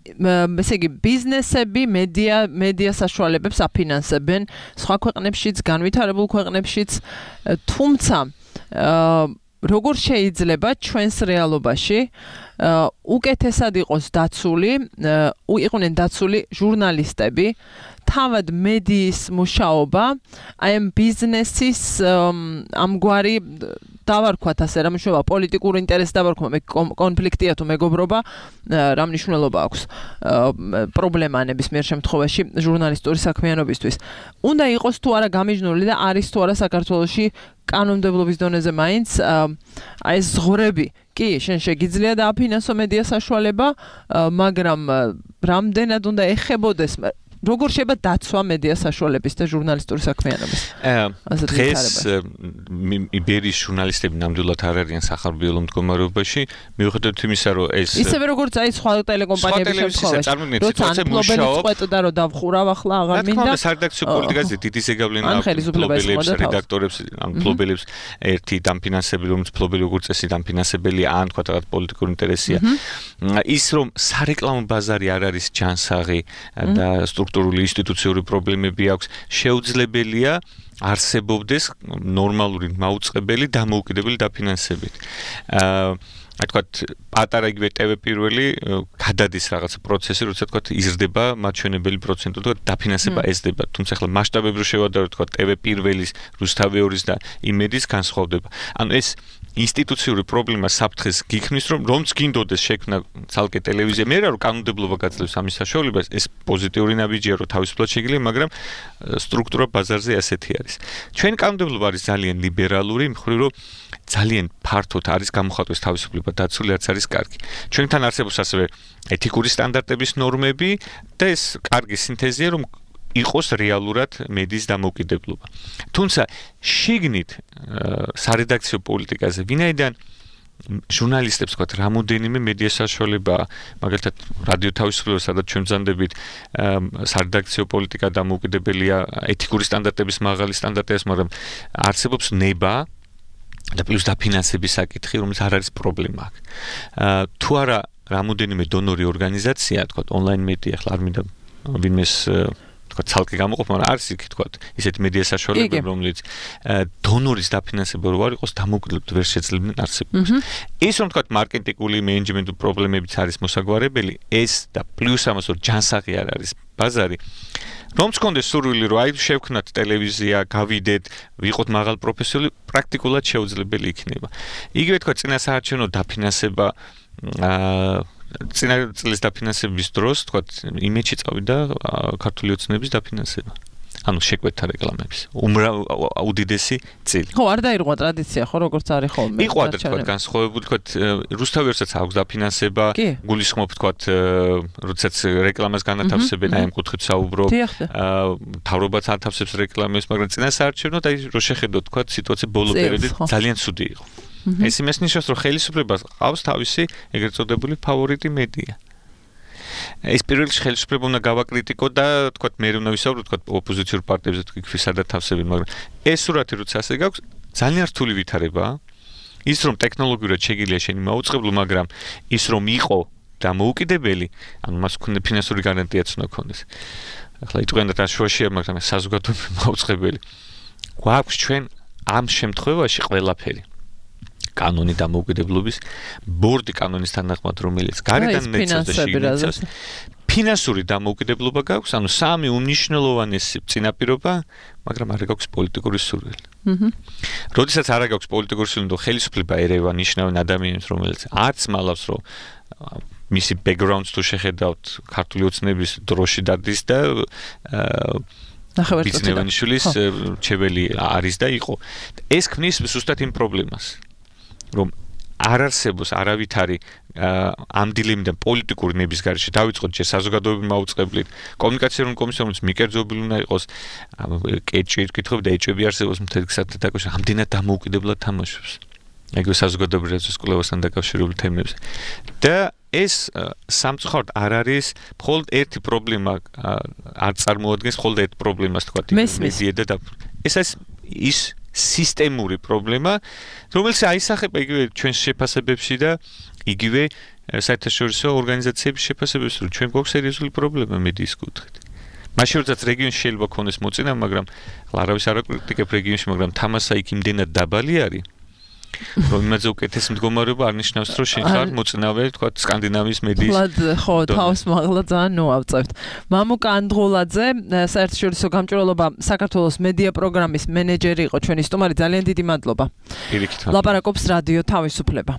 S2: ესე იგი ბიზნესები მედია საშუალებებს აფინანსებენ სხვა ქვეყნებშიც განვითარებულ ქვეყნებშიც თუმცა როგორ შეიძლება ჩვენს რეალობაში უკეთესად იყოს იყვნენ დაცული ჟურნალისტები თავად მედიის მუშაობა აი ამ ბიზნესის ამგვარი დავარქვათ ასე რა მნიშვნელობა პოლიტიკური ინტერესი დავარქვა მე კონფლიქტია თუ მეგობრობა რა მნიშვნელობა აქვს პრობლემა ნებისმიერ შემთხვევაში ჟურნალისტური საქმიანობისთვის უნდა იყოს თუ არა გამიჯნული და არის თუ არა საქართველოში კანონმდებლობის დონეზე მაინც აი ეს ზღვრები კი შენ შეგიძლია დააფინანსო მედია საშუალება მაგრამ რამდენად უნდა ეხებოდეს როგორ შეიძლება დაცვა მედია საშუალების და ჟურნალისტური საქმიანობის
S7: დღეს იბერიის ჟურნალისტები ნამდვილად არ არიან სახარბიელო მდგომარეობაში მიუხედავად იმისა რომ ეს
S2: ისევე როგორც აი სხვა ტელეკომპანიების შემთხვევაში როცა მფლობელი წყვეტდა რომ დავხურავ ახლა აღარ მინდა
S7: სარედაქციო პოლიტიკაზე დიდი ზეგავლენა მფლობელებს რედაქტორებს ან მფლობელებს ერთი დამფინანსებელი რომელიც მფლობელი როგორც წესი დამფინანსებელია ან თქვა რაღაც პოლიტიკური ინტერესია ის რომ სარეკლამო ბაზარი არ არის ჯანსაღი და სტრუქტურული ინსტიტუციური პრობლემები აქვს შეუძლებელია არსებობდეს ნორმალური მაუწყებელი დამოუკიდებელი დაფინანსებით აი თქვა პატარა იგივე ტევ პირველი გადადის რაღაცა პროცესი როცა თქვა იზრდება მაჩვენებელი პროცენტი თქვა დაფინანსება ეზრდება თუმცა ახლა მასშტაბებრივ შევადაროთ თქვა ტევ პირველის რუსთავი 2-ის და იმედის განსხვავდება ანუ ეს ინსტიტუციური პრობლემა საფრთხეს გიქმნის რომც გინდოდეს შექმნა ცალკე ტელევიზია მე რა რომ კანონმდებლობა გაძლევს ამის საშუალებას ეს პოზიტიური ნაბიჯია რომ თავისუფლად შეიძლება მაგრამ სტრუქტურა ბაზარზე ასეთი არის ჩვენ კანონმდებლობა არის ძალიან ლიბერალური მხრივ რომ ძალიან ფართოდ არის გამოხატვის თავისუფლება დაცული რაც არის კარგი ჩვენთან არსებობს ასევე ეთიკური სტანდარტების ნორმები და ეს კარგი სინთეზია რომ იყოს რეალურად მედიის დამოუკიდებლობა. თუმცა შიგნით სარედაქციო პოლიტიკაზე ვინაიდან ჟურნალისტებს თქვათ რამოდენიმე მედია საშუალება მაგალითად რადიო თავისუფლება სადაც ჩვენ ვზანდებით სარედაქციო პოლიტიკა დამოუკიდებელია ეთიკური სტანდარტების მაღალი სტანდარტია მაგრამ არსებობს ნება და პლუს დაფინანსების საკითხი რომელიც არ არის პრობლემა აქ თუ არა რამოდენიმე დონორი ორგანიზაცია თქვათ ონლაინ მედია ახლა არ მინდა ვინმეს თქვა ცალკე გამოყოფ, მაგრამ არის იქ თქვა ისეთი მედია საშუალებები, რომელიც დონორის დაფინანსება რო არ იყოს, დამოუკიდებლად ვერ შეძლებდნენ არსებობას. ეს რომ თქვა მარკეტინგული მენეჯმენტი პრობლემებიც არის მოსაგვარებელი, ეს და პლუს ამას რომ ჯანსაღი არ არის ბაზარი. რომც კონდეს სურვილი რომ აი შევქნათ ტელევიზია, გავიდეთ, ვიყოთ მაღალ პროფესიონალი, პრაქტიკულად შეუძლებელი იქნება. იგივე თქვა წინასაარჩევნო დაფინანსება წინა წლის დაფინანსების დროს, თქვა იმედში წავიდა ქართული ოცნების დაფინანსება. ანუ შეკვეთა რეკლამების. უდიდესი წილი.
S2: ხო, არ დაირღვა ტრადიცია, ხო, როგორც არის ხოლმე.
S7: იყო ადრე თქვა განსხვავებული, თქვა რუსთავი ერთსაც აქვს დაფინანსება, გულისხმობ თქვა როდესაც რეკლამას განათავსებენ, აი ამ კუთხით საუბრობ. თავრობაც ათავსებს რეკლამებს, მაგრამ წინასაარჩევნო და რო შეხედოთ თქვა სიტუაცია ბოლო პერიოდით ძალიან ცუდი იყო. ეს იმას ნიშნავს, რომ ხელისუფლებას ყავს თავისი ეგრეთ წოდებული ფავორიტი მედია. ეს პირველ რიგში ხელისუფლება უნდა გავაკრიტიკო და თქვა მე უნდა ვისაუბრო თქვა ოპოზიციურ პარტიებზე თქვი სადაც თავსებენ, მაგრამ ეს სურათი როცა ასე გაქვს, ძალიან რთული ვითარებაა. ის რომ ტექნოლოგიურად შეგიძლია შენი მაუწყებლო, მაგრამ ის რომ იყო დამოუკიდებელი, ანუ მას ქონდა ფინანსური გარანტიაც უნდა ქონდეს. ახლა იტყვიან და შუაშია, მაგრამ საზოგადოებრივი მაუწყებელი. გვაქვს ჩვენ ამ შემთხვევაში ყველაფერი. კანონი დამოუკიდებლობის, ბორდი კანონის თანახმად, რომელიც გარედან ნეცავს და შიგნით ფინანსური დამოუკიდებლობა გაქვს, ანუ სამი უნიშნელოვანესი წინაპირობა, მაგრამ არ გაქვს პოლიტიკური სურვილი. როდესაც არ გაქვს პოლიტიკური სურვილი, და ხელისუფლება ერევა ნიშნავენ ადამიანებს, რომელიც არც მალავს, რომ მისი background-ს თუ შეხედავთ, ქართული ოცნების დროში დადის და ბიზნესმენის რჩეველი არის და იყო. ეს ქმნის ზუსტად იმ პრობლემას, რომ არ არსებობს არავითარი ამ დილემდან პოლიტიკური ნების გარეშე დავიწყოთ ჯერ საზოგადოებრივი მაუწყებლით, კომუნიკაციური კომისია, რომელიც მიკერძობილი უნდა იყოს, კეჭი კითხები და ეჭვები არსებობს მთელ გზად დაკავშირებით, ამდენად დამოუკიდებლად თამაშობს. ეგრე საზოგადოებრივი კვლევასთან დაკავშირებული თემებზე. და ეს სამწუხაროდ არ არის მხოლოდ ერთი პრობლემა, არ წარმოადგენს მხოლოდ ერთ პრობლემას, თქვა მედია და ეს ის სისტემური პრობლემა, რომელიც აისახება იგივე ჩვენს შეფასებებში და იგივე საერთაშორისო ორგანიზაციების შეფასებებში, რომ ჩვენ გვაქვს სერიოზული პრობლემა მედიის კუთხით. მაშინ როდესაც რეგიონში შეიძლება ქონდეს მოწინავე, მაგრამ არავის არ აკრიტიკებ რეგიონში, მაგრამ თამასა იქ იმდენად დაბალი არის, რომ იმაზე უკეთეს მდგომარეობა არ ნიშნავს, რომ შენ ხარ მოწინავე, თქვა სკანდინავიის მედიის.
S2: ხო, თავს მაღლა ძალიან ნუავწევთ. მამუკა ანდღულაძე, საერთაშორისო გამჭვირვალობა საქართველოს მედია პროგრამის მენეჯერი იყო ჩვენი სტუმარი, ძალიან დიდი მადლობა.
S7: პირიქით.
S2: ლაპარაკობს რადიო თავისუფლება.